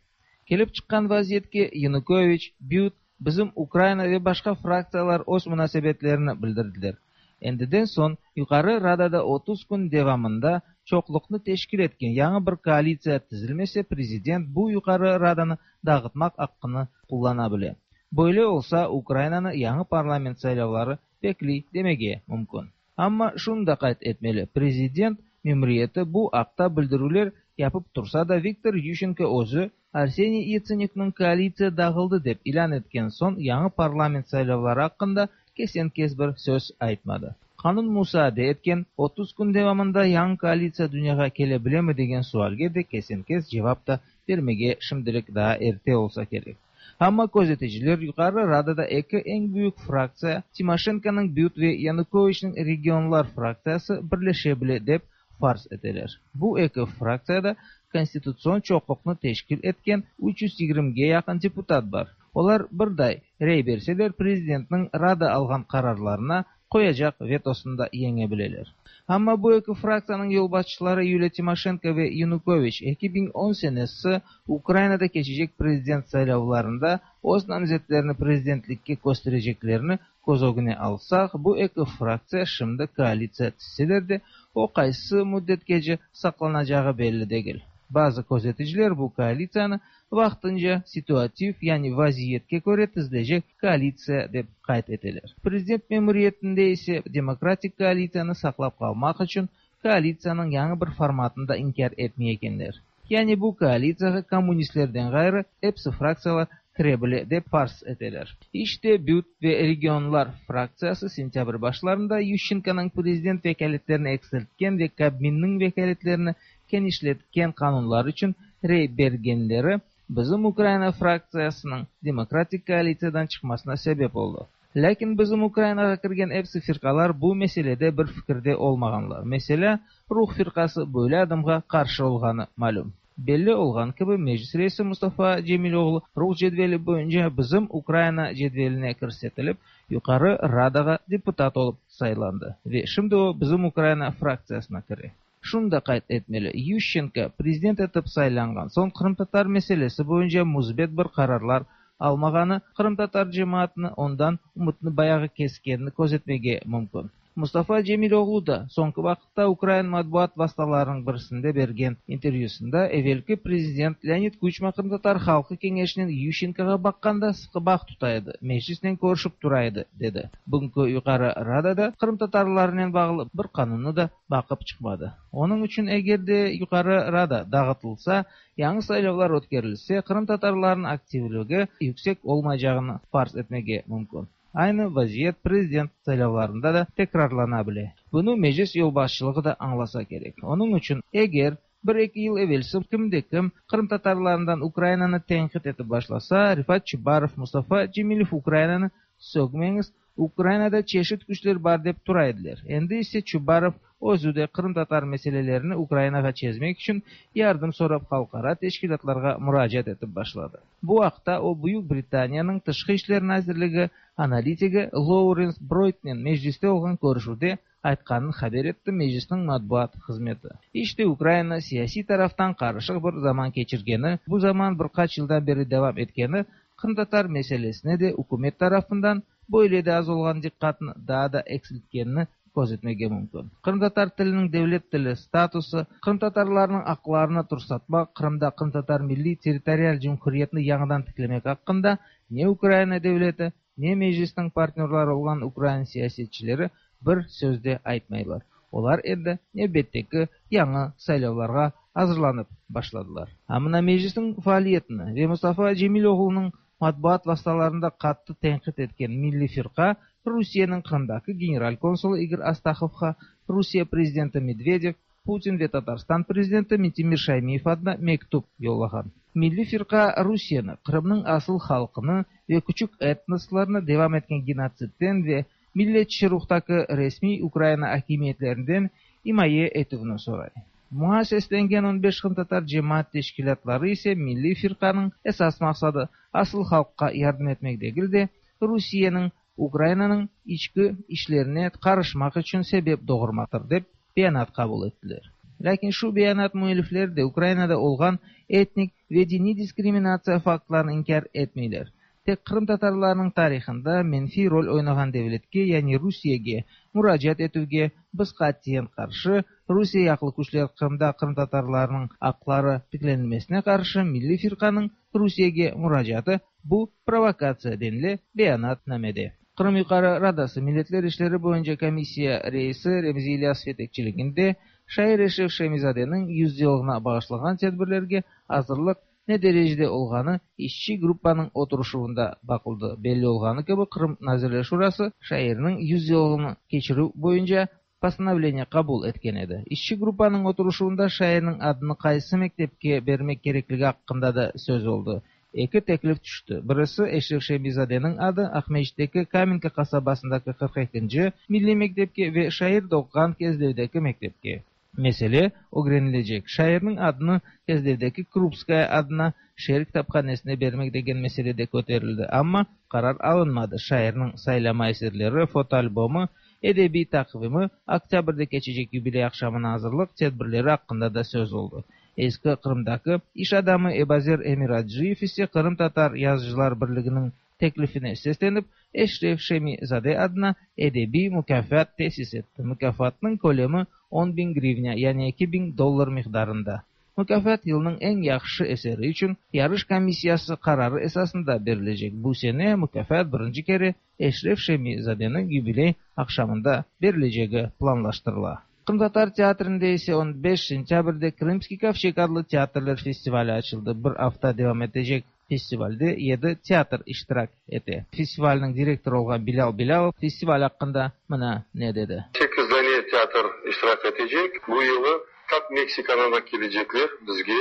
Kelip çıqqan vaziyetke Yanukoviç, BYuT, bizim Ukraina ve başqa fraktsiyalar öz munasebetlerini bildirdiler. Endiden soñ Yuqarı Radada otuz kün devamında çoqluqnı teşkil etken yañı bir koalitsiya tizilmese, prezident bu Yuqarı Radanı dağıtmaq aqqını qullana bile. Böyle olsa, Ukrainanı yañı parlament saylavları bekley demege mümkün. Amma şunı da qayd etmeli, prezident memuriyeti bu aqta bildirüvler yapıp tursa da, Viktor Yuşçenko özü Arseniy Yatsenyuknıñ koalitsiya dağıldı dep ilân etken soñ yañı parlament saylavları aqqında kesen-kes bir söz aytmadı. Qanun musaade etken otuz kün devamında yañı koalitsiya dünyağa kele bilemi degen sualge de kesen-kes cevap da bermege şimdilik daa erte olsa kerek. Amma közeticiler Yuqarı Radada eki eñ büyük fraktsiya, Timoşenkonıñ BYuT ve Yanukoviçniñ Regionlar fraktsiyası birleşe bile dep farz eteler. Bu eki fraktsiyada konstitutsion çoqluqnı teşkil etken üç yüz yigirmige yaqın deputat bar. Olar birday rey berseler, prezidentniñ Rada alğan qararlarına qoyacaq vetosını da yeñe bileler. Amma bu eki fraktsiyanıñ yolbaşçıları Yuliya Timoşenko ve Yanukoviç eki biñ on senesi Ukrainada keçecek prezident saylavlarında öz namzetlerini prezidentlikke köstereceklerini köz ögüne alsaq, bu eki fraktsiya şimdi koalitsiya tizseler de, o qaysı müddetkece saqlanacağı belli degil. Bazı közeticiler bu koalitsiyanı vaqtınca situativ, yani vaziyetke köre tizilecek koalitsiya dep qayd eteler. Prezident memuriyetinde ise demokratik koalitsiyanı saqlap qalmaq içün koalitsiyanıñ yañı bir formatını da inkâr etmey ekenler. Yani bu koalitsiyağa kommunistlerden ğayrı episi fraktsiyalar kire bile dep farz eteler. İşte BYuT ve Regionlar fraktsiyası sentyabr başlarında Yuşçenkonıñ prezident vekâletlerini eksiltken ve Kabminniñ vekâletlerini kenişletken qanunlar içün rey bergenleri bizim Ukraina fraktsiyasınıñ demokratik koalitsiyadan çıqmasına sebep oldı. Lâkin bizim Ukrainağa kirgen episi firqalar bu meselede bir fikirde olmağanlar. Meselâ, Ruh firqası böyle adımğa qarşı olğanı malüm. Belli olğan kibi, Meclis reisi Mustafa Cemiloğlu Ruh cedveli boyunca bizim Ukraina cedveline kirsetilip, Yuqarı Radağa deputat olıp saylandı ve şimdi o bizim Ukraina fraktsiyasına kire. Şunı da qayd etmeli, Yuşçenko prezident etip saylanğan soñ qırımtatar meselesi boyunca müsbet bir qararlar almağanı qırımtatar cemaatını ondan ümütni bayağı keskenini közetmege mümkün. Mustafa Cemiloğlu da soñki vaqıtta ukrain matbuat vastalarınıñ birisinde bergen intervyüsında evelki prezident Leonid Kuçma qırımtatar halqı keñeşinen Yuşçenkoğa baqqanda sıqı bağ tuta edi, Meclisnen körüşip tura edi, dedi. Bugünki Yuqarı Radada qırımtatarlarnen bağlı bir qanunnı da baqıp çıqmadı. Onıñ içün eger de Yuqarı Rada dağıtılsa, yañı saylavlar ötkerilse, qırımtatarlarnıñ aktivligi yüksek olmaycağını farz etmege mümkün. Aynı vaziyet prezident saylavlarında da tekrarlana bile. Bunı Meclis yolbaşçılığı da añlasa kerek. Onıñ içün eger bir eki yıl evelsi kimde kim qırımtatarlarından Ukrainanı tenqit etip başlasa, Refat Çubarov, Mustafa Cemilev Ukrainanı sögmeñiz, Ukrainada çeşit küçler bar dep tura ediler. Endi ise Çubarov özü de qırımtatar meselelerini Ukrainağa çezmek içün yardım sorap halqara teşkilâtlarğa muracaat etip başladı. Bu aqta o Büyük Britaniyanıñ Tışqı işler nazirligi analitigi Lawrence Broytnen Mecliste olğan körüşüvde aytqanını haber etti Meclisniñ matbuat hızmeti. İşte Ukraina siyasiy taraftan qarışıq bir zaman keçirgeni, bu zaman bir qaç yıldan beri devam etkeni qırımtatar meselesine de ükümet tarafından böyle de az olğan diqqatnı daa da eksiltkenini köz etmege mümkün. Qırımtatar tiliniñ devlet tili statusı, qırımtatarlarnıñ aqlarını tursatmaq, Qırımda qırımtatar milliy territorial cumhuriyetini yañıdan tiklemek aqqında ne Ukraina devleti, ne Meclisniñ partnörları olğan ukrain siyasetçileri bir söz de aytmaylar. Olar endi nevbetteki yañı saylavlarğa azırlanıp başladılar. A mına Meclisniñ faaliyetini ve Mustafa Cemiloğlunıñ matbuat vastalarında qattı tenqit etken Milliy Firqa Rusiyeniñ Qırımdaki general konsulı İgor Astahovğa Rusiye prezidenti Medvedev, Putin ve Tatarstan prezidenti Mintimir Şaymiyev adına mektüp yollağan. Milliy Firqa Rusiyeni, Qırımnıñ asıl halqını ve küçük etnoslarnı devam etken genotsidden ve milletçi ruhtaki resmiy Ukraina akimiyetlerinden imaye etüvini soray. Buña seslengen on beş qırımtatar cemaat teşkilâtları ise Milliy Firqanıñ esas maqsadı asıl halqqa yardım etmek degil de, Rusiyeniñ Ukrainanıñ içki işlerine qarışmaq içün sebep doğurmaqtır dep beyanat qabul ettiler. Lâkin şu beyanat müellifleri de Ukrainada olğan etnik ve diniy diskriminatsiya faktlarını inkâr etmeyler. Tek qırımtatarlarnıñ tarihında menfiy rol oynağan devletke, yani Rusiyege muracaat etüvge biz qatiyen qarşı, Rusiye yaqlı küçler Qırımda qırımtatarlarnıñ aqları tiklenilmesine qarşı Milliy Firqanıñ Rusiyege muracaatı bu provokatsiya denile beyanatnamede. Qırım Yuqarı Radası Milletler işleri boyunca komissiya reisi Remzi İlyasov yetekçiliginde şair Eşref Şemizadeniñ yüz yılına bağışlanğan tedbirlerge azırlıq ne derecede olğanı işçi gruppanıñ oturışuvında baqıldı. Belli olğanı kibi, Qırım Nazirler Şurası şairniñ yüz yılını keçirüv boyunca postanovleniye qabul etken edi. İşçi gruppanıñ oturışuvında şairniñ adını qaysı mektepke bermek kerekligi aqqında da söz oldı. Eki teklif tüşti. Birisi Eşref Şemizadeniñ adı Aqmescitteki Kamenka qasabasındaki qırq ekinci milliy mektepke ve şair doğğan Kezlevdeki mektepke. Mesele ögrenilecek. Şairniñ adını Kezlevdeki Krupskaya adına şeer kitaphanesine bermek degen mesele de köterildi. Amma qarar alınmadı. Şairniñ saylama eserleri, fotoalbomı, edebiy taqvimi, oktâbrde keçecek yubiley aqşamına azırlıq tedbirleri aqqında da söz oldı. Eski Qırımdaki iş adamı Ebazer Emiraciyev ise Qırımtatar Yazıcılar Birliginiñ teklifine seslenip, Eşref Şemizade adına edebiy mukâfat tesis etti. Mukâfatnıñ kölemi on biñ grivna, yani eki biñ dollar miqdarında. Mukâfat yılnıñ eñ yahşı eseri içün yarış komissiyası qararı esasında berilecek. Bu sene mukâfat birinci kere Eşref Şemizadeniñ yubiley aqşamında berilecegi planlaştırıla. Qırımtatar teatrinde ise on beş sentâbrde Krımskiy kovçeg adlı teatrler festivali açıldı. Bir afta devam etecek festivalde yedi teatr iştirak ete. Festivalniñ direktorı olğan Bilâl Bilâlov festival aqqında mına ne dedi. Sekiz dane teatr iştirak etecek. Bu yılı tap Meksikadan da kelecekler bizge.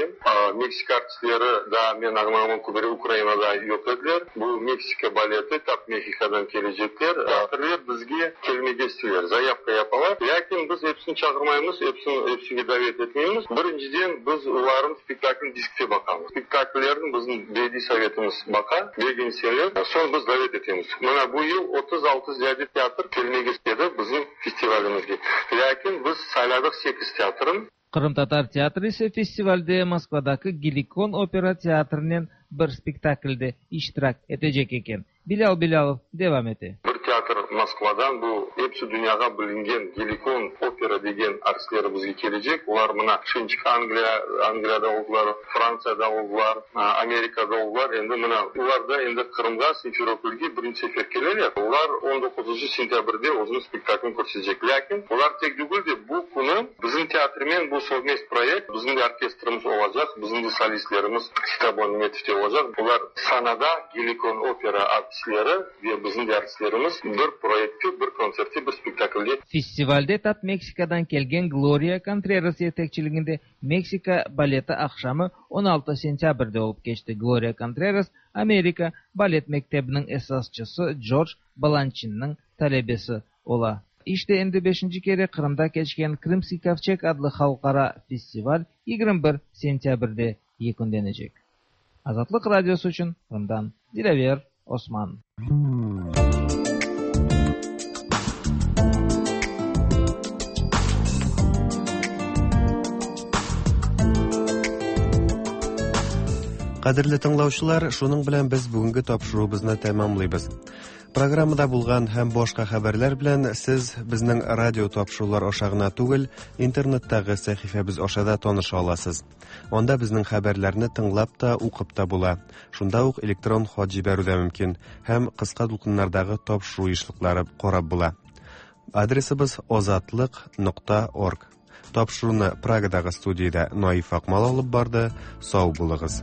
Meksika artistleri da men añlağanım kibi Ukrainada yoq ediler. Bu Meksika baleti tap Mexikodan kelecekler. Teatrler bizge kelmege isteyler, zayavka yapalar. Lâkin biz episini çağırmaymız, episini episige davet etmeymiz. Birinciden biz olarnıñ spektaklini diskte baqamız. Spektakllerni bizim bediy sovetimiz baqa, begenseler, soñ biz davet etemiz. Mına bu yıl otuz altı ziyade teatr kelmege istedi bizim festivalimizge. Lâkin biz sayladıq sekiz teatrın. Qırımtatar teatri ise festivalde Moskvadaki Gelikon opera teatrinen bir spektaklde iştirak etecek eken. Bilâl Bilâlov devam ete. Bir teatr Moskvadan, bu episi dünyağa bilingen Gelikon opera degen artistleri bizge kelecek. Olar mına şimdiki Angliya, Angliyada oldular, Frantsiyada oldular, Amerikada oldular. Endi mına olar da endi Qırımğa, Simferopolge birinci sefer keleler. Olar on doquzıncı sentâbrde özüniñ spektaklini körsetecek. Lâkin olar tek degil de bu künü bizim teatrmen bu совмест proyekt, bizim de orkestrimiz olacaq, bizim de solistlerimiz Sitabon Nimetovte olacaq. Olar sanada Gelikon opera artistleri ve bizim de artistlerimiz bir proyektte, bir kontsertte, bir spektaklde. Festivalde tap Meksikadan kelgen Gloria Contreras yetekçiliginde Meksika baleti aqşamı on altı sentâbrde olıp keçti. Gloria Contreras Amerika balet mektebiniñ esasçısı George Balançinniñ talebesi ola. İşte endi beşinci kere Qırımda keçken Krımskiy kovçeg adlı halqara festival yigirmi bir sentâbrde yekünlenecek. Azatlıq Radiosı içün Qırımdan Dilâver Osman. Кадерле тыңлаучылар, шуның белән без бүгенге тапшыруыбызны тәмамлыйбыз. Программада булган һәм башка хәбәрләр белән сез безнең радио тапшырулар аша гына түгел, интернеттагы сәхифәбез аша да таныша аласыз. Анда безнең хәбәрләрне тыңлап та, укып та була. Шунда ук электрон хат җибәрү дә мөмкин һәм кыска дулкыннардагы тапшыру ешлыклары карап була. Адресыбыз озатлык нокта орг. Тапшыруны Прагадагы студиядә Наиф Акмал алып барды. Сау булыгыз.